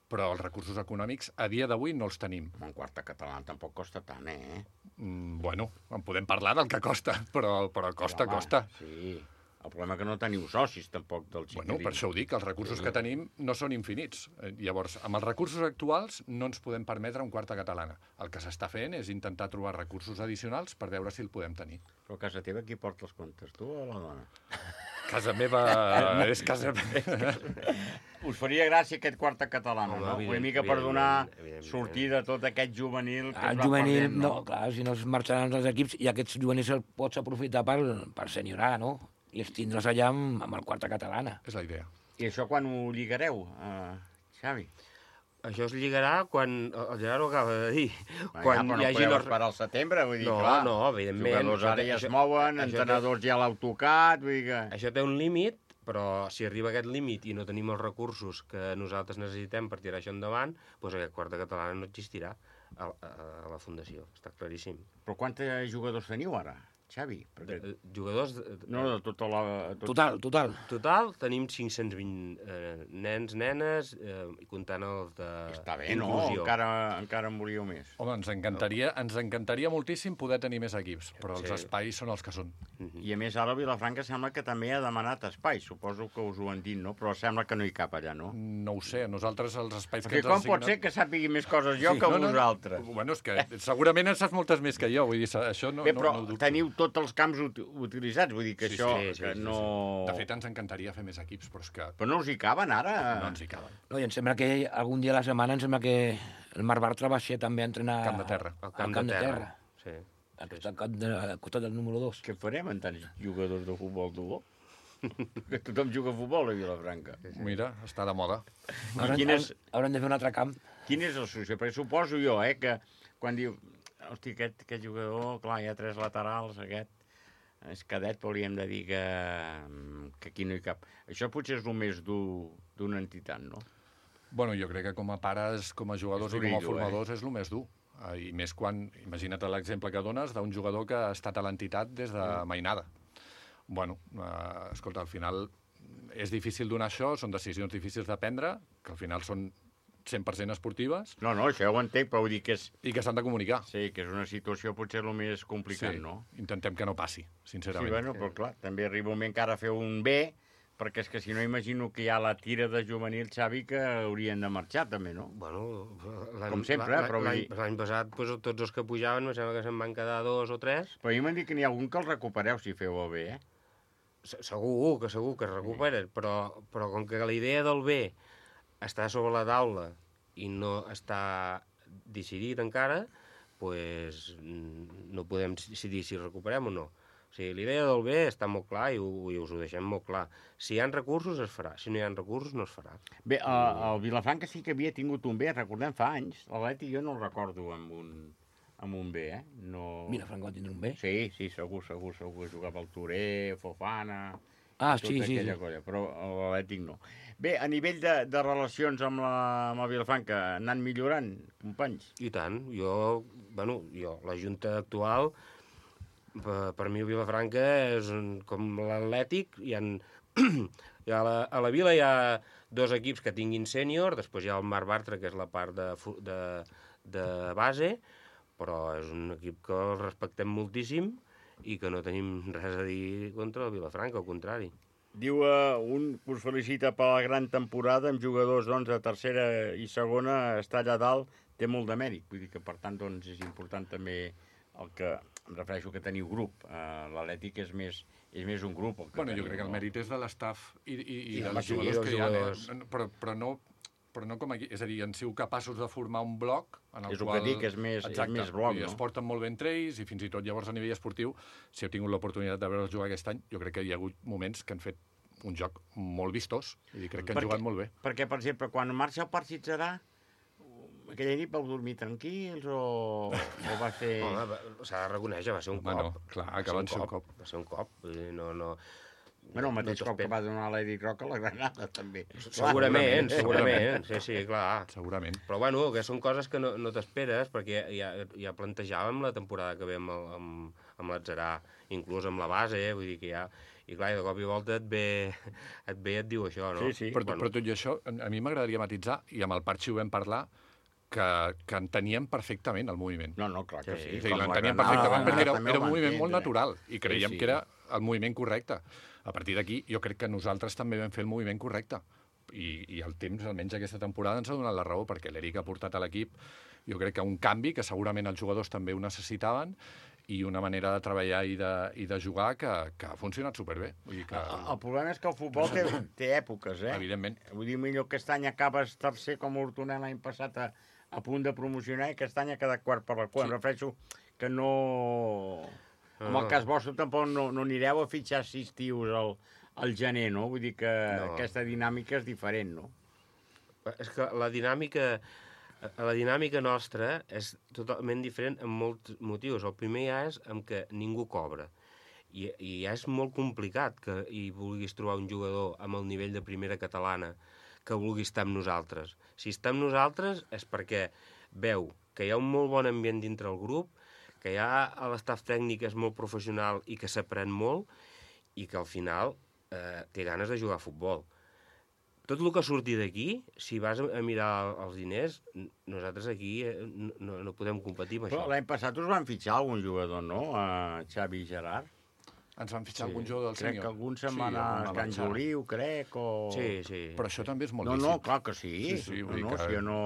però els recursos econòmics a dia d'avui no els tenim. Un quarta català tampoc costa tant, eh? Mm, bueno, en podem parlar del que costa, però, però costa, Home, costa. Sí. El problema és que no teniu socis, tampoc, del xiquilín. Bueno, per això ho dic, els recursos que tenim no són infinits. Eh, Llavors, amb els recursos actuals no ens podem permetre un quarta catalana. El que s'està fent és intentar trobar recursos addicionals per veure si el podem tenir. Però a casa teva qui porta els comptes, tu o la dona? Casa meva és casa meva. Us faria gràcia aquest quarta catalana, Home, no? evident- Una mica per donar evidentment, evidentment. sortida a tot aquest juvenil que El es va juvenil, perdent, no, clar, si no es marxaran els equips i aquests juvenils els pots aprofitar per, per senyorar, no? I els tindràs allà amb, amb el quarta catalana. És la idea. I això quan ho lligareu, uh, Xavi? Això es lligarà quan... El Gerard ho acaba de dir. Quan quan ja, però no hi hagi podeu los- esperar al setembre, vull dir, No, clar. no, evidentment. Jugadors ara ja Això- es mouen, això té- entrenadors ja l'heu tocat, vull dir que... Això té un límit però si arriba a aquest límit i no tenim els recursos que nosaltres necessitem per tirar això endavant, doncs aquest quarta catalana no existirà a, a, a la Fundació, està claríssim. Però quants jugadors teniu ara, Xavi? Perquè... De, jugadors... De, no, de tota la... Tot... Total, total. Total tenim cinc-cents vint eh, nens, nenes, eh, i comptant els de... Està bé, no? Encara, encara en volíeu més. Home, ens encantaria, ens encantaria moltíssim poder tenir més equips, però els sí. espais són els que són. I a més, ara Vilafranca sembla que també ha demanat espais. Suposo que us ho han dit, no? Però sembla que no hi cap allà, no? No ho sé, nosaltres els espais que, que ens com pot ser que sàpigui més coses jo sí. que no, vosaltres? No, bueno, és que segurament en saps moltes més que jo, vull dir, això no, bé, però no, no ho dubto. Teniu tots els camps ut utilitzats, vull dir que sí, això sí, sí, que sí, no... Sí. De fet, ens encantaria fer més equips, però és que... Però no us hi caben, ara? No ens hi caben. No, i em sembla que algun dia a la setmana em sembla que el Marc Bartra va ser també a entrenar... Camp de terra. Al camp, camp de terra. Sí. Al costat, de, al costat del número dos. Què farem amb tants jugadors de futbol, tu? Que tothom juga a futbol a Vilafranca. Mira, està de moda. Haurem, és... haurem de fer un altre camp. Quin és el solució? Perquè suposo jo, eh, que quan diu... Hosti, aquest, aquest jugador, clar, hi ha tres laterals, aquest... És cadet, però hauríem de dir que, que aquí no hi cap. Això potser és el més dur d'una entitat, no? Bueno, jo crec que com a pares, com a jugadors i com a formadors eh? és el més dur. I més quan, imagina't l'exemple que dones d'un jugador que ha estat a l'entitat des de mainada. Bueno, eh, escolta, al final és difícil donar això, són decisions difícils de prendre, que al final són cent per cent esportives. No, no, això ja ho entenc, però vull dir que és... I que s'han de comunicar. Sí, que és una situació potser el més complicat, sí, no? Intentem que no passi, sincerament. Sí, bueno, però clar, també arriba un moment que ara fer un B, perquè és que si no imagino que hi ha la tira de juvenil, Xavi, que haurien de marxar també, no? Bueno, com sempre, eh? Però l'any dir... passat, pues, tots els que pujaven, em sembla que se'n van quedar dos o tres. Però a mi m'han dit que n'hi ha algun que el recupereu si feu el B, eh? Segur, que segur que es recuperen, però, però com que la idea del B està sobre la taula i no està decidit encara, pues, no podem decidir si recuperem o no. O sigui, l'idea del B està molt clar i, ho, i us ho deixem molt clar. Si hi ha recursos, es farà. Si no hi ha recursos, no es farà. Bé, el, el Vilafranca sí que havia tingut un B, recordem fa anys. L'Atleti jo no el recordo amb un, amb un B, eh? No... Vilafranca va tindre un B? Sí, sí, segur, segur, segur. Jugava el Touré, Fofana... Ah, sí, sí, sí. Colla, però l'Atlètic no. Bé, a nivell de, de relacions amb la, amb la Vilafranca, han anat millorant, companys? I tant. Jo, bueno, jo, la Junta actual, per, per mi Vilafranca és un, com l'Atlètic, hi ha, hi ha la, a la Vila hi ha dos equips que tinguin sènior, després hi ha el Marc Bartra, que és la part de, de, de base, però és un equip que el respectem moltíssim, i que no tenim res a dir contra el Vilafranca, al contrari. Diu uh, un que us felicita per la gran temporada amb jugadors doncs, de tercera i segona, estar allà dalt té molt de mèrit. Vull dir que, per tant, doncs, és important també el que, em refereixo que teniu grup. Uh, L'Atlètic és més, és més un grup. El que bueno, teniu, jo crec que el mèrit és de l'estaf i, i, i, I de dels les jugadors que hi ha, jugadors. però, però no... però no com aquí, és a dir, han sigut capaços de formar un bloc en el és el qual... que dic, és més, exacte, és més bloc, i no? es porten molt bé entre ells, i fins i tot llavors a nivell esportiu, si heu tingut l'oportunitat de veure'ls jugar aquest any, jo crec que hi ha hagut moments que han fet un joc molt vistós, i crec que han perquè, jugat molt bé. Perquè, per exemple, quan marxa el partit serà, aquella nit vau dormir tranquils o, o va ser... Home, s'ha de reconèixer, va ser un Home, cop. No, clar, que van ser un cop. Va ser un cop, no... no... Bueno, el mateix no cop que va donar l'Eric Roca a la Granada, també. Segurament, segurament, sí, sí, clar. Segurament. Però, bueno, que són coses que no, no t'esperes, perquè ja, ja plantejàvem la temporada que ve amb, amb, amb l'Atzarà, inclús amb la base, eh? Vull dir que ja... I, clar, de cop i volta et ve, et ve i et diu això, no? Sí, sí. Però, bueno. però tot i això, a mi m'agradaria matitzar, i amb el Parxi ho vam parlar, que, que enteníem perfectament el moviment. No, no, clar que sí. sí. sí l'enteníem perfectament, perquè era, era un moviment molt natural, i creiem sí, sí. que era el moviment correcte. A partir d'aquí, jo crec que nosaltres també vam fer el moviment correcte. I, i el temps, almenys aquesta temporada, ens ha donat la raó, perquè l'Eric ha portat a l'equip, jo crec que un canvi, que segurament els jugadors també ho necessitaven, i una manera de treballar i de, i de jugar que, que ha funcionat superbé. Vull dir que... el, el problema és que el futbol té, té èpoques, eh? Evidentment. Vull dir, millor que aquest any acabes tercer com l'Hortonet l'any passat a, a punt de promocionar i aquest any ha quedat quart per la cua. Sí. Em refereixo que no... En el cas vostre tampoc no, no anireu a fitxar sis tios al, al gener, no? Vull dir que no. Aquesta dinàmica és diferent, no? És que la dinàmica... La dinàmica nostra és totalment diferent en molts motius. El primer ja és en què ningú cobra. I, i ja és molt complicat que hi vulguis trobar un jugador amb el nivell de primera catalana que vulgui estar amb nosaltres. Si està amb nosaltres és perquè veu que hi ha un molt bon ambient dintre el grup, que ja l'estaf tècnic és molt professional i que s'aprèn molt i que al final eh, té ganes de jugar a futbol. Tot el que surti d'aquí, si vas a mirar els diners, nosaltres aquí no, no podem competir amb Però això. l'any passat us van fitxar algun jugador, no? A Xavi i Gerard. Ens van fitxar sí. algun jugador del crec sènior. Crec que algun se'n va anar a Can Joliu, crec, o... Sí, sí. Però això també és molt no, lícit. No, no, clar que sí. Sí, sí, no, vull no, dir que... si jo no...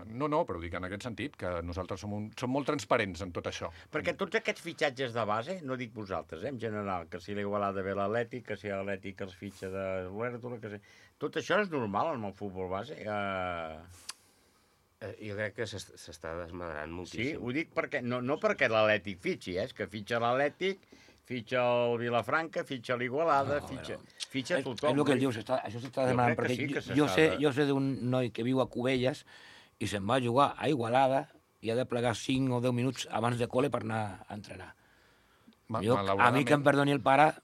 no, no, però dic en aquest sentit, que nosaltres som, un... som molt transparents en tot això. Perquè tots aquests fitxatges de base, no dic vosaltres, eh, en general, que si l'Igualada ve l'Atlètic, que si l'Atlètic els fitxa de Huértola, que si... Tot això és normal en el futbol base. Uh... Eh, jo crec que s'està desmadrant moltíssim. Sí, ho dic perquè, no, no perquè l'Atlètic fitxi, eh, és que fitxa l'Atlètic, fitxa el Vilafranca, fitxa l'Igualada, no, fitxa, però... fitxa és, tothom. És el que dius, està, això s'està demanant, perquè sí jo, sé, jo sé d'un noi que viu a Cubelles i se'n va a jugar a Igualada i ha de plegar cinc o deu minuts abans de col·le per anar a entrenar. Ma, jo, a mi que em perdoni el pare,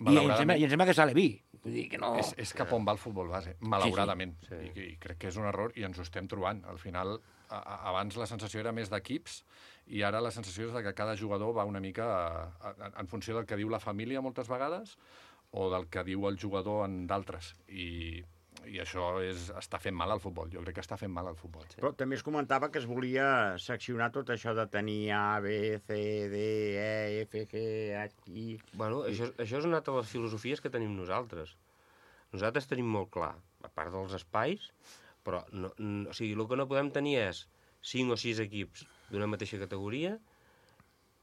i em sembla, i em sembla que sale vi. Vull dir que no... És, és cap on va el futbol base, malauradament. Sí, sí. I, I crec que és un error i ens ho estem trobant. Al final, a, a, abans la sensació era més d'equips i ara la sensació és de que cada jugador va una mica a, a, en funció del que diu la família moltes vegades o del que diu el jugador en d'altres. I, i això és, està fent mal al futbol. Jo crec que està fent mal al futbol. Sí. Però també es comentava que es volia seccionar tot això de tenir A, B, C, D, E, F, G, H, I... Bueno, això, això és una de les filosofies que tenim nosaltres. Nosaltres tenim molt clar, a part dels espais, però no, no, o sigui, el que no podem tenir és cinc o sis equips d'una mateixa categoria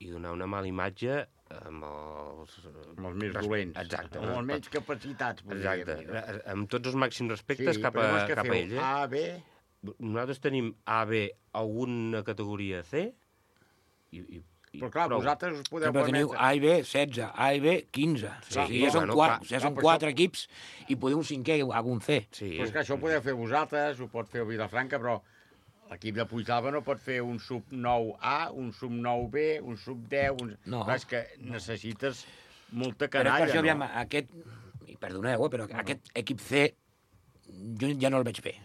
i donar una mala imatge amb els... Amb els més dolents. Exacte. Amb els menys capacitats. Exacte. Dir, no? Amb tots els màxims respectes sí, cap a, cap a ell. A, B... Nosaltres tenim A, B, alguna categoria C i... i però clar, prou. Vosaltres us podeu permetre... Teniu A i B, setze, A i B, quinze. Sí, sí, ja són, bueno, quatre, ja són quatre això... equips i podeu un cinquè o algun C. Sí. Però és que això ho podeu fer vosaltres, ho pot fer el Vilafranca, però l'equip de Puigdàlber no pot fer un sub nou A, un sub nou B, un sub deu... Un... No. Clar, és que necessites molta canalla, però per això, no? Aviam, aquest, i perdoneu, eh, però no. aquest equip C jo ja no el veig bé.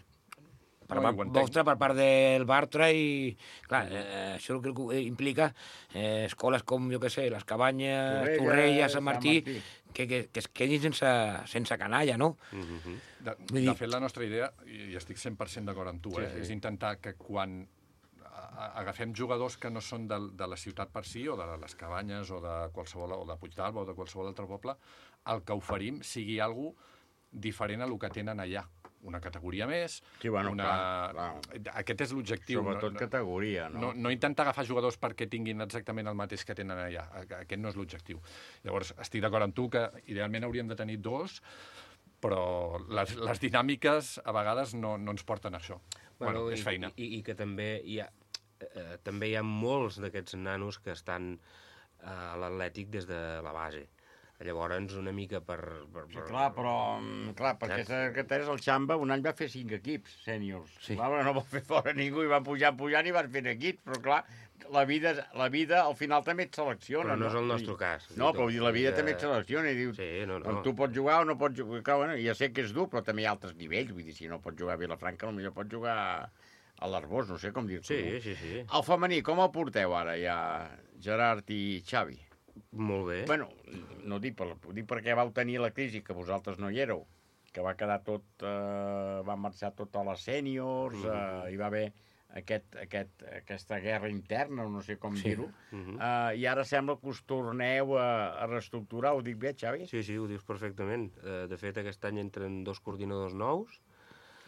Per no, part vostra, per part del Bartra, i clar, eh, això el que implica eh, escoles com, jo què sé, les Cabanyes, Torrella, Torrella Sant Martí, Sant Martí. Que, que, que es quedin sense, sense canalla, no? Mm-hmm. De, de dir... fet, la nostra idea, i estic cent per cent d'acord amb tu, sí, eh, sí. és intentar que quan agafem jugadors que no són de, de la ciutat per si, o de les Cabanyes, o de qualsevol, o de Puigdàlber, o de qualsevol altre poble, el que oferim sigui alguna diferent a el que tenen allà. Una categoria més, sí, bueno, una... clar, clar. Aquest és l'objectiu. Sobretot no, categoria, no? no? No intentar agafar jugadors perquè tinguin exactament el mateix que tenen allà. Aquest no és l'objectiu. Llavors, estic d'acord amb tu que idealment hauríem de tenir dos, però les, les dinàmiques a vegades no, no ens porten a això. Bueno, bueno és feina. I, i, i que també hi ha, eh, també hi ha molts d'aquests nanos que estan a l'Atlètic des de la base. Llavors, una mica per... per, per... Sí, clar, però... Clar, perquè secretaris el Xamba un any va fer cinc equips sèniors. Sí. Clar, no va fer fora ningú i van pujar, pujar i van fent equips, però clar, la vida, la vida al final també et selecciona. Però no, no és el nostre cas. No, però dir, la vida que... també et selecciona i dius, sí, no, no. tu pots jugar o no pots jugar. Clar, bueno, ja sé que és dur, però també hi ha altres nivells. Vull dir, si no pots jugar a Vilafranca, potser pots jugar a l'Arbós, no sé com dir-ho. Sí, sí, sí. El femení, com el porteu ara ja, Gerard i Xavi? Molt bé. Bueno, no dic, per, dic perquè vau tenir la crisi, que vosaltres no hi éreu, que va quedar tot... Eh, van marxar tot a les sèniors, mm -hmm. eh, hi va haver aquest, aquest, aquesta guerra interna, no sé com sí. dir-ho, mm -hmm. eh, i ara sembla que us torneu a, a reestructurar, ho dic bé, Xavi? Sí, sí, ho dius perfectament. Eh, de fet, aquest any entren dos coordinadors nous.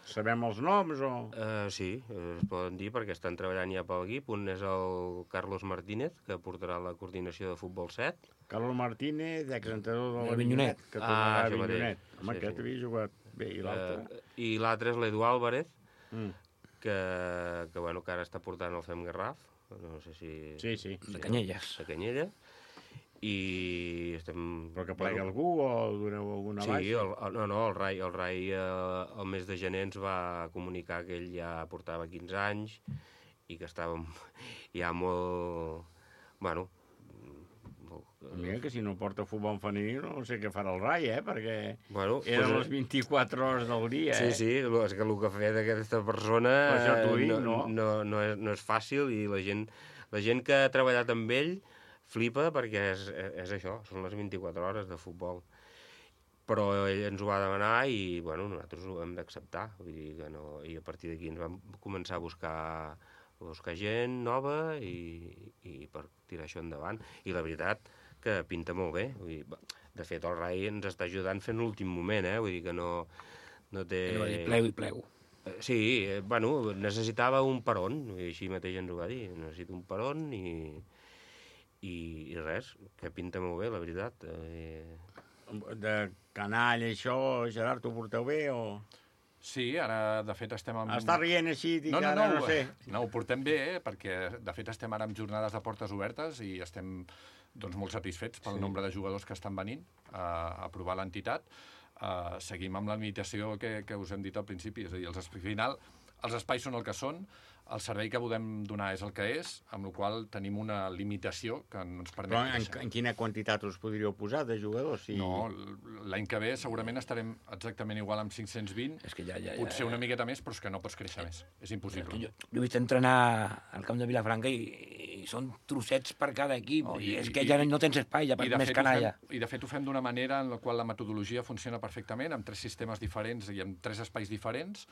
Sabem els noms o...? Uh, sí, es poden dir perquè estan treballant ja pel equip. Un és el Carlos Martínez, que portarà la coordinació de futbol set. Carlos Martínez, exentrenador de l'Avinyonet. Que tornarà a Avinyonet. Home, sí, aquest sí. havia jugat bé. I l'altre? Uh, I l'altre és l'Edu Álvarez, mm. que, que, bueno, que ara està portant el Fem Garraf. No sé si... Sí, sí. De Canyelles. De Canyelles. I estem... Però que plegui bueno, algú o doneu alguna sí, baixa? Sí, no, no, el Rai, el Rai eh, el mes de gener ens va comunicar que ell ja portava quinze anys i que estava ja molt... Bueno, Mira que si no porta futbol femení no sé què farà el Rai, eh? Perquè bueno, eren pues, les vint-i-quatre hores del dia, sí, eh? Sí, sí, és que el que ha fet aquesta persona dic, no, no? No, no, és, no és fàcil i la gent, la gent que ha treballat amb ell flipa perquè és, és això, són les vint-i-quatre hores de futbol. Però ell ens ho va demanar i bueno, nosaltres ho hem d'acceptar. Vull dir que no, i a partir d'aquí ens vam començar a buscar buscar gent nova i, i per tirar això endavant. I la veritat que pinta molt bé. Vull dir, de fet, el Rai ens està ajudant fent l'últim moment, eh? Vull dir que no, no té... No va dir plego i plego. Sí, eh, bueno, necessitava un peron, i així mateix ens ho va dir. Necessito un peron i, i, i res, que pinta molt bé, la veritat. Eh... De canalla, això, Gerard, t'ho porteu bé o...? Sí, ara, de fet, estem amb... Està rient així, dic, no, no, ara no, no sé. No, ho portem bé, eh, perquè, de fet, estem ara amb jornades de portes obertes i estem doncs, molt satisfets pel sí. nombre de jugadors que estan venint a, a provar l'entitat. Uh, seguim amb la limitació que, que us hem dit al principi, és a dir, els, al final, els espais són el que són, el servei que podem donar és el que és, amb la qual tenim una limitació que no ens permet... Però en, en quina quantitat us podríeu posar de jugadors? Si... No, l'any que ve segurament estarem exactament igual amb cinc-cents vint, és que ja, ja, ja, potser ja. una miqueta més, però és que no pots créixer més. És impossible. Jo, jo he vist entrenar al camp de Vilafranca i, i són trossets per cada equip. Oh, i, és que ja no tens espai, ja per més canalla. Fem, I de fet ho fem d'una manera en la qual la metodologia funciona perfectament, amb tres sistemes diferents i amb tres espais diferents,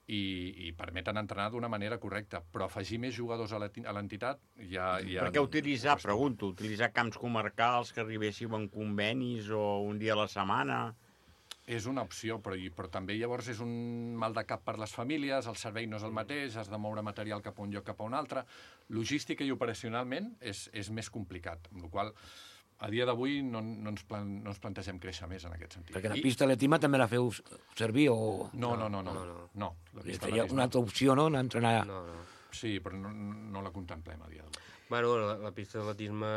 i, i permeten entrenar d'una manera correcta. Però afegir més jugadors a l'entitat ja... ja... Per què utilitzar, pregunto, utilitzar camps comarcals que arribéssiu en convenis o un dia a la setmana? És una opció, però, però també llavors és un mal de cap per les famílies, el servei no és el mateix, has de moure material cap a un lloc cap a un altre. Logística i operacionalment és, és més complicat, amb la qual a dia d'avui no, no, ens plan, no ens plantegem créixer més en aquest sentit. Perquè la pista atletisme també la feu servir o... No, no, no. no, no, no. no la pista atletisme... una altra opció, no?, entrenar... No, no. Sí, però no, no la contemplem a dia d'avui. Bueno, la, la pista d'atletisme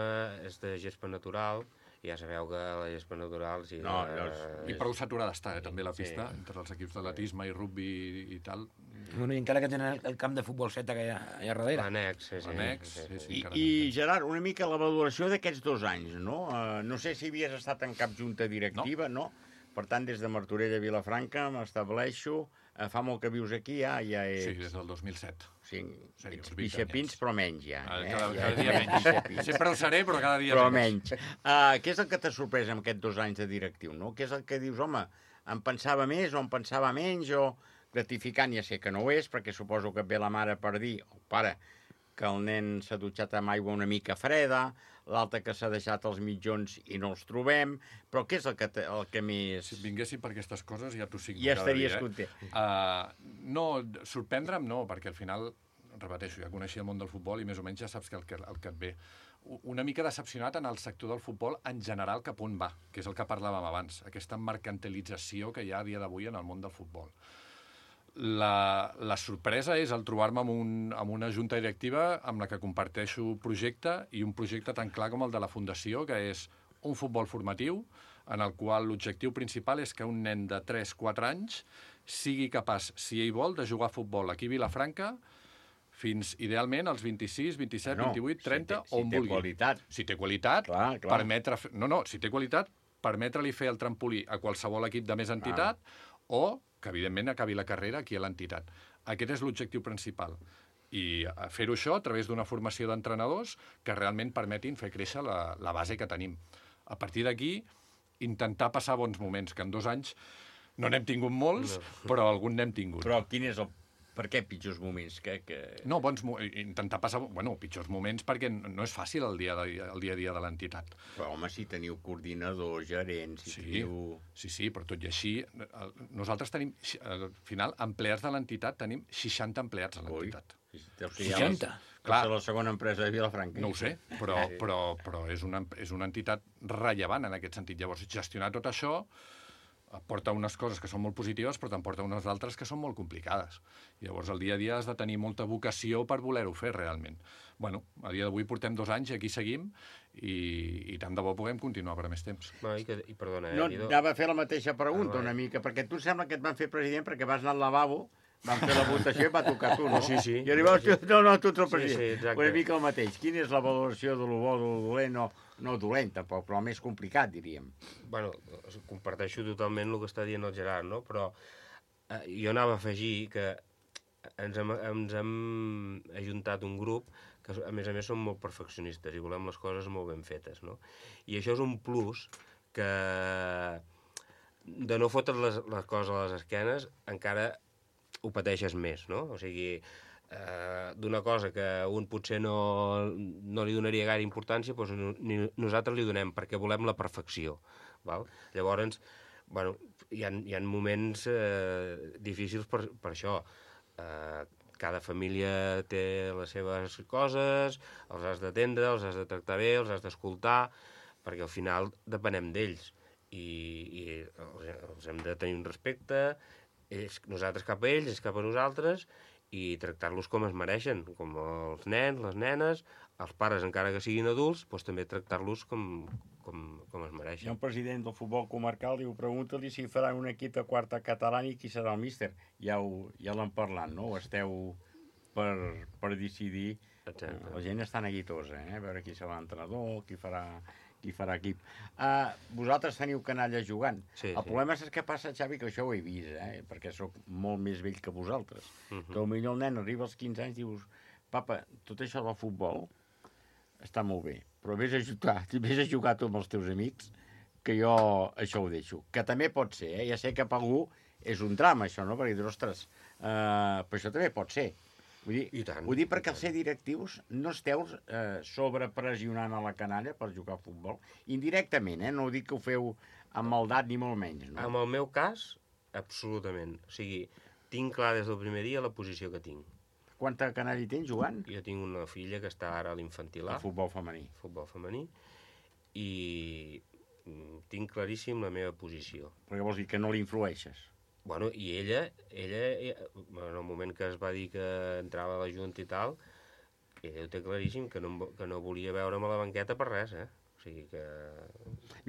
és de gespa natural, i ja sabeu que la gespa natural... Sí, no, la, és... I prou saturada està, eh, també la pista, sí. Entre els equips d'atletisme i rugby i, i tal. Bueno, i encara que tenen el, el camp de futbol set allà, allà darrere. L'annex, sí, sí. L'annex, sí, sí. sí, I, I, Gerard, una mica la valoració d'aquests dos anys, no? Uh, no sé si havies estat en cap junta directiva, no? no? Per tant, des de Martorell a Vilafranca m'estableixo... Uh, fa molt que vius aquí, ja, ja ets... Sí, des del dos mil set. Sí, sí ets pixapins, però menys, ja. Eh? Cada, cada dia menys. Sempre ho seré, però cada dia però menys. menys. Uh, què és el que t'ha sorprès amb aquests dos anys de directiu, no? Què és el que dius, home, em pensava més o em pensava menys o... gratificant, ja sé que no ho és, perquè suposo que ve la mare per dir, o oh, pare, que el nen s'ha dutxat amb aigua una mica freda, l'altre que s'ha deixat els mitjons i no els trobem, però què és el que, te, el que més... Si vinguessin per aquestes coses ja t'ho signo ja cada estaries dia. Eh? content. Uh, no, sorprendre'm no, perquè al final, repeteixo, ja coneixia el món del futbol i més o menys ja saps que el que, el que et ve. Una mica decepcionat en el sector del futbol en general cap on va, que és el que parlàvem abans, aquesta mercantilització que hi ha a dia d'avui en el món del futbol. La, la sorpresa és el trobar-me amb, un, amb una junta directiva amb la que comparteixo projecte i un projecte tan clar com el de la Fundació, que és un futbol formatiu en el qual l'objectiu principal és que un nen de tres quatre anys sigui capaç, si ell vol, de jugar a futbol aquí a Vilafranca fins, idealment, als vint-i-sis, vint-i-set, no, vint-i-vuit, trenta, si té, si on vulgui. Si té qualitat. Si té qualitat, clar, clar. permetre... No, no, si té qualitat, permetre-li fer el trampolí a qualsevol equip de més entitat clar. O que, evidentment, acabi la carrera aquí a l'entitat. Aquest és l'objectiu principal. I fer-ho això a través d'una formació d'entrenadors que realment permetin fer créixer la, la base que tenim. A partir d'aquí, intentar passar bons moments, que en dos anys no n'hem tingut molts, no. però algun n'hem tingut. Però quin és el... Per què pitjors moments? Que, que... No, bons mo... intentar passar... Bueno, pitjors moments perquè no és fàcil el dia, de, el dia a dia de l'entitat. Però, home, si teniu coordinadors, gerents... Si sí, teniu... sí, sí, però tot i així, nosaltres tenim, al final, empleats de l'entitat, tenim seixanta empleats a l'entitat. seixanta? Clar, és la segona empresa de Vilafranca. No ho sé, però, però, però és, una, és una entitat rellevant en aquest sentit. Llavors, gestionar tot això porta unes coses que són molt positives, però te'n porta unes altres que són molt complicades. Llavors, el dia a dia has de tenir molta vocació per voler-ho fer, realment. Bueno, a dia d'avui portem dos anys i aquí seguim i, i tant de bo puguem continuar per més temps. No, i, que, i perdona, eh, no, Nido... anava a fer la mateixa pregunta ah, una mica, perquè tu sembla que et van fer president perquè vas anar al lavabo Vam fer la votació i va tocar tu, no? Sí, sí. I arribaves tu, no, no, tu ets el Sí, president. sí, exacte. Una mica el mateix. Quina és la valoració de lo bo, de lo dolent? No, no dolent, tampoc, però el més complicat, diríem. Bueno, comparteixo totalment el que està dient el Gerard, no? Però eh, jo anava a afegir que ens hem, ens hem ajuntat un grup que, a més a més, som molt perfeccionistes i volem les coses molt ben fetes, no? I això és un plus que, de no fotre't les, les coses a les esquenes, encara ho pateixes més, no? O sigui, eh, d'una cosa que un potser no, no li donaria gaire importància, doncs no, ni nosaltres li donem, perquè volem la perfecció, val? Llavors, bueno, hi ha, hi ha moments eh, difícils per, per això. Eh, cada família té les seves coses, els has d'atendre, els has de tractar bé, els has d'escoltar, perquè al final depenem d'ells i, i els, els hem de tenir un respecte, ells, nosaltres cap a ells, ells cap a nosaltres, i tractar-los com es mereixen, com els nens, les nenes, els pares, encara que siguin adults, doncs també tractar-los com, com, com es mereixen. Hi ha un president del futbol comarcal, diu, pregunta-li si farà un equip de quarta catalana i qui serà el míster. Ja, ho, ja l'han parlat, no? Ho esteu per, per decidir. Exacte. La gent està neguitosa, eh? A veure qui serà l'entrenador, qui farà, qui farà equip. Uh, vosaltres teniu canalla jugant. Sí, el sí. problema és que passa, Xavi, que això ho he vist, eh? Perquè sóc molt més vell que vosaltres. Uh Mhm. -huh. Que potser el nen arriba als quinze anys i dius, papa, tot això del futbol està molt bé, però vés a jugar, vés a jugar tu amb els teus amics, que jo això ho deixo. Que també pot ser, eh? Ja sé que per algú és un drama, això, no? Perquè dius, ostres, uh, però això també pot ser. Vull dir, I tant, vull dir perquè els ser directius no esteu eh, sobrepressionant a la canalla per jugar a futbol. Indirectament, eh? No dic que ho feu amb maldat ni molt menys, no? En el meu cas, absolutament. O sigui, tinc clar des del primer dia la posició que tinc. Quanta canalla hi tens jugant? Jo tinc una filla que està ara a l'infantil A. El futbol femení. Futbol femení. I mm, tinc claríssim la meva posició. Perquè vols dir que no l'influeixes? Bueno, i ella, ella, en el moment que es va dir que entrava a la Junta i tal, ella ho té claríssim, que no, que no volia veure'm a la banqueta per res, eh? O sigui que...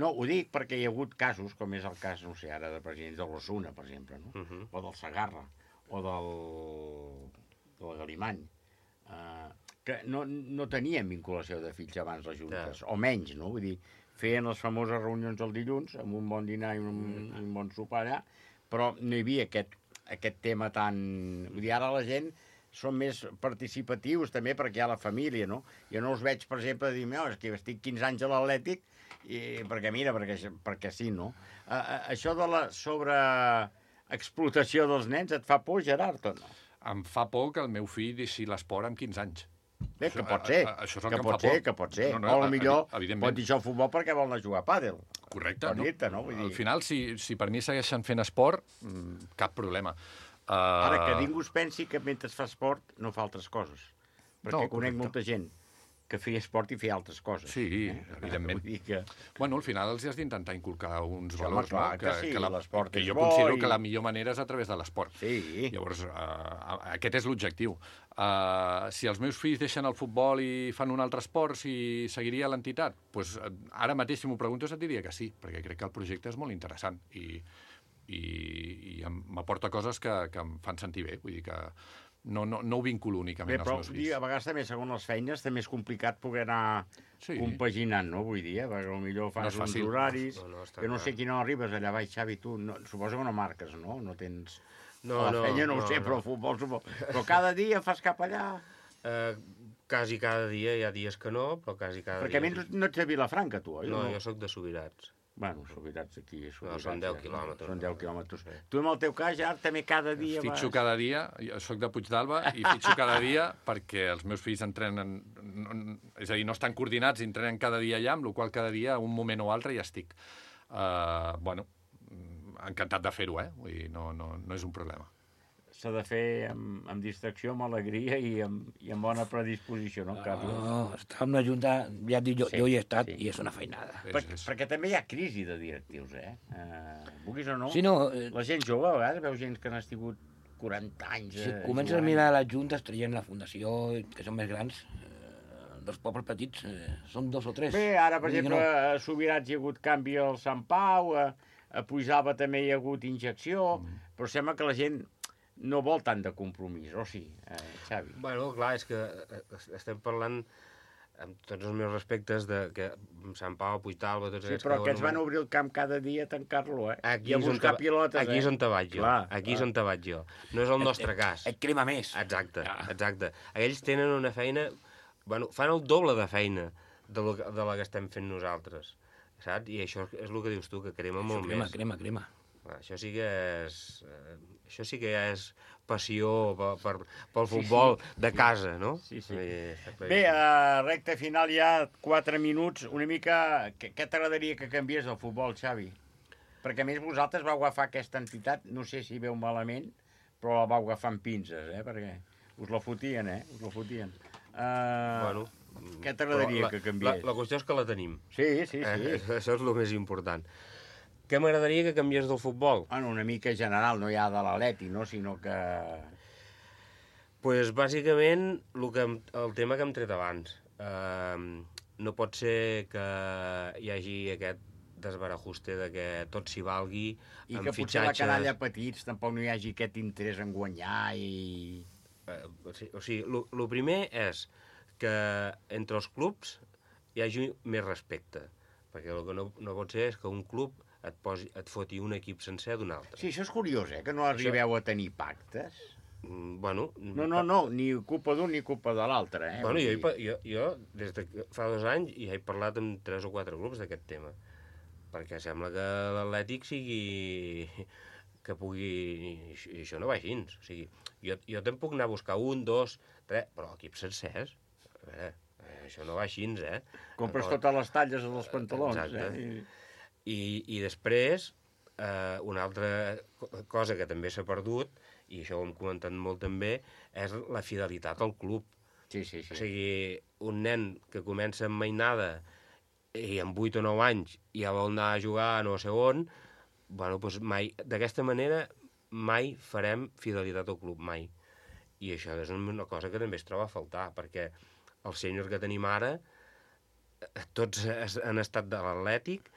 No, ho dic perquè hi ha hagut casos, com és el cas, no sé, ara de presidents de l'Osuna, per exemple, no? Uh -huh. O del Segarra, o del, del Galimany, uh, que no, no tenien vinculació de fills abans les juntes, Ja. o menys, no? Vull dir, feien les famoses reunions el dilluns, amb un bon dinar i un, mm. un bon sopar allà, però no hi havia aquest, aquest tema tan... Vull dir, ara la gent són més participatius també perquè hi ha la família, no? Jo no els veig, per exemple, dir, no, és que estic quinze anys a l'Atlètic i perquè mira, perquè, perquè sí, no? A, a, això de la sobreexplotació dels nens et fa por, Gerard, o no? Em fa por que el meu fill deixi l'esport amb quinze anys. Bé, que pot ser, A, a, això és el que, que, pot em fa ser, por. que pot ser. No, no, o potser evidentment. pot deixar el futbol perquè vol anar a jugar a pàdel. Correcte. Per dir-te, no? Vull dir... Al final, si, si per mi segueixen fent esport, mm, cap problema. Uh... Ara, que ningú es pensi que mentre fa esport no fa altres coses. Perquè No, conec correcte. molta gent que feia esport i feia altres coses. Sí, eh? evidentment. Vull dir que... Bueno, al final els has d'intentar inculcar uns Sí, valors, home, clar, no? que sí, la- l'esport que és jo bo considero i- que la millor manera és a través de l'esport. Sí. Llavors, uh, aquest és l'objectiu. Uh, si els meus fills deixen el futbol i fan un altre esport, si seguiria l'entitat? Pues, uh, ara mateix, si m'ho preguntes, et diria que sí, perquè crec que el projecte és molt interessant i, i, i em- m'aporta coses que, que em fan sentir bé. Vull dir que no, no, no ho vinculo únicament Bé, als però meus vull dir, fills. a vegades també, segons les feines, també és complicat poder anar Sí. compaginant, no? Vull dir, eh? perquè potser No fas és uns fàcil. horaris, No, no, està que no clar. sé quina hora arribes allà baix, Xavi, tu, no, suposo que no marques, no? No tens... No, a la no, feina no, no, ho sé, no. però el futbol, suposo. Però cada dia fas cap allà... Eh, quasi cada dia, hi ha dies que no, però quasi cada Perquè a dia... mi no, no ets de Vilafranca, tu, oi? No, jo sóc de Subirats. Bueno, Subirats aquí... Subirats, són deu ja, quilòmetres. Són deu quilòmetres. Tu, en el teu cas, ja també cada dia Fitxo vas... cada dia, jo soc de Puigdàlber, i fitxo cada dia perquè els meus fills entrenen, no, és a dir, no estan coordinats i entrenen cada dia allà, amb la qual cada dia, un moment o altre, ja estic. Uh, bueno, encantat de fer-ho, eh? Vull dir, no, no, no és un problema. S'ha de fer amb, amb distracció, amb alegria i amb, i amb bona predisposició, no, Carlos? No, estar amb la Junta, ja et dic, jo, Sí, jo hi he estat sí. i és una feinada. Per, perquè també hi ha crisi de directius, eh? Uh, vulguis o no? Sí, no, eh, La gent jove, a vegades, veu gent que n'ha estat quaranta anys... Si eh, comences a jugant. mirar les juntes, traient la fundació, que són més grans, eh, dels pobles petits, eh, són dos o tres. Bé, ara, per Vull dir que exemple, a Subirats hi ha hagut canvi al Sant Pau, a, a Puigdàlber també hi ha hagut injecció, mm. però sembla que la gent no vol tant de compromís, o sí, eh, Xavi? Bueno, clar, és que estem parlant, amb tots els meus respectes, de que Sant Pau, Puigdàlber, tots Sí, aquests... però que que ens van obrir el camp cada dia a tancar-lo, eh? Aquí I a és on buscar te- pilotes, aquí és on te vaig jo. Clar, Aquí és clar. on te vaig jo. No és el Et- nostre et- cas. et crema més. Exacte, exacte. Aquells tenen una feina... Bueno, fan el doble de feina de, lo, que- de la que estem fent nosaltres, saps? I això és el que dius tu, que crema molt crema, més. crema, crema. Clar, això sí que és... Eh, això sí que ja és passió per, per, pel futbol Sí, sí. de casa, no? Sí, sí. Eh, Bé, a recta final ja quatre minuts, una mica... Què, què t'agradaria que canviés del futbol, Xavi? Perquè a més vosaltres vau agafar aquesta entitat, no sé si veu malament, però la vau agafar amb pinces, eh? Perquè us la fotien, eh? Us la fotien. Uh, Bueno, què t'agradaria però la- que canviés? La, la qüestió és que la tenim. Sí, sí, sí. Eh, això és el més important. Què m'agradaria que canviés del futbol? Bueno, una mica general, no ja de l'Atleti, no? Sinó que... Pues, bàsicament, el, que, em- el tema que hem tret abans. Uh, no pot ser que hi hagi aquest desbarajuste de que tot s'hi valgui I amb que potser la fitxatges... canalla petits tampoc no hi hagi aquest interès en guanyar i... Eh, o sigui, o sigui el primer és que entre els clubs hi hagi més respecte, perquè el que no, no pot ser és que un club et, posi, et foti un equip sencer d'un altre. Sí, això és curiós, eh? Que no arribeu a tenir pactes. Mm, bueno... No, no, no, ni culpa d'un ni culpa de l'altre, eh? Bueno, Vull jo, dir- hi pa- jo, jo, des de que fa dos anys, ja he parlat amb tres o quatre grups d'aquest tema, perquè sembla que l'Atlètic sigui... que pugui... I això no va així. O sigui, jo, jo te'n puc anar a buscar un, dos, tres, però equips sencers... A veure, eh, això no va així, eh? Compres D'acord? totes les talles dels pantalons, Exacte. eh? I, i després, eh, una altra co- cosa que també s'ha perdut, i això ho hem comentat molt també, és la fidelitat al club. Sí, sí, sí. O sigui, un nen que comença amb mainada i amb vuit o nou anys ja vol anar a jugar a no sé on, bueno, doncs mai, d'aquesta manera mai farem fidelitat al club, mai. I això és una cosa que també es troba a faltar, perquè el sènior que tenim ara, eh, tots es- han estat de l'Atlètic,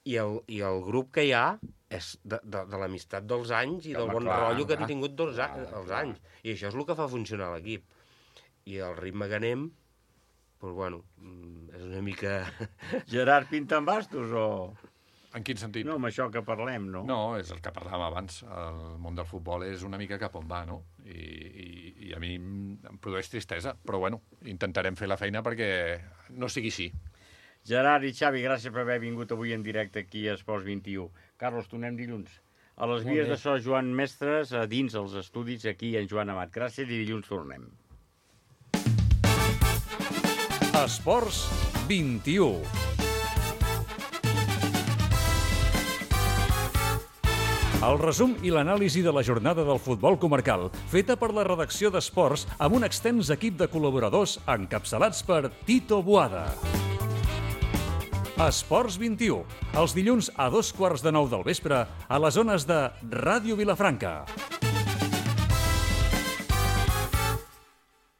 i el, i el grup que hi ha és de, de, de l'amistat dels anys i del Home, bon clar, rotllo que clar. han tingut dels, Clar, a- els clar. anys. I això és el que fa funcionar l'equip. I el ritme que anem, doncs, bueno, mm, és una mica... Gerard pinta amb bastos o...? En quin sentit? No, amb això que parlem, no? No, és el que parlàvem abans. El món del futbol és una mica cap on va, no? I, i, i a mi em produeix tristesa, però bueno, intentarem fer la feina perquè no sigui així. Gerard i Xavi, gràcies per haver vingut avui en directe aquí a Esports vint-i-u. Carlos, tornem dilluns. A les Molt vies bé. de so Joan Mestres, a dins els estudis, aquí en Joan Amat. Gràcies i dilluns tornem. Esports vint-i-u. El resum i l'anàlisi de la jornada del futbol comarcal, feta per la redacció d'Esports amb un extens equip de col·laboradors encapçalats per Tito Boada. Esports vint-i-u, els dilluns a dos quarts de nou del vespre a les zones de Ràdio Vilafranca.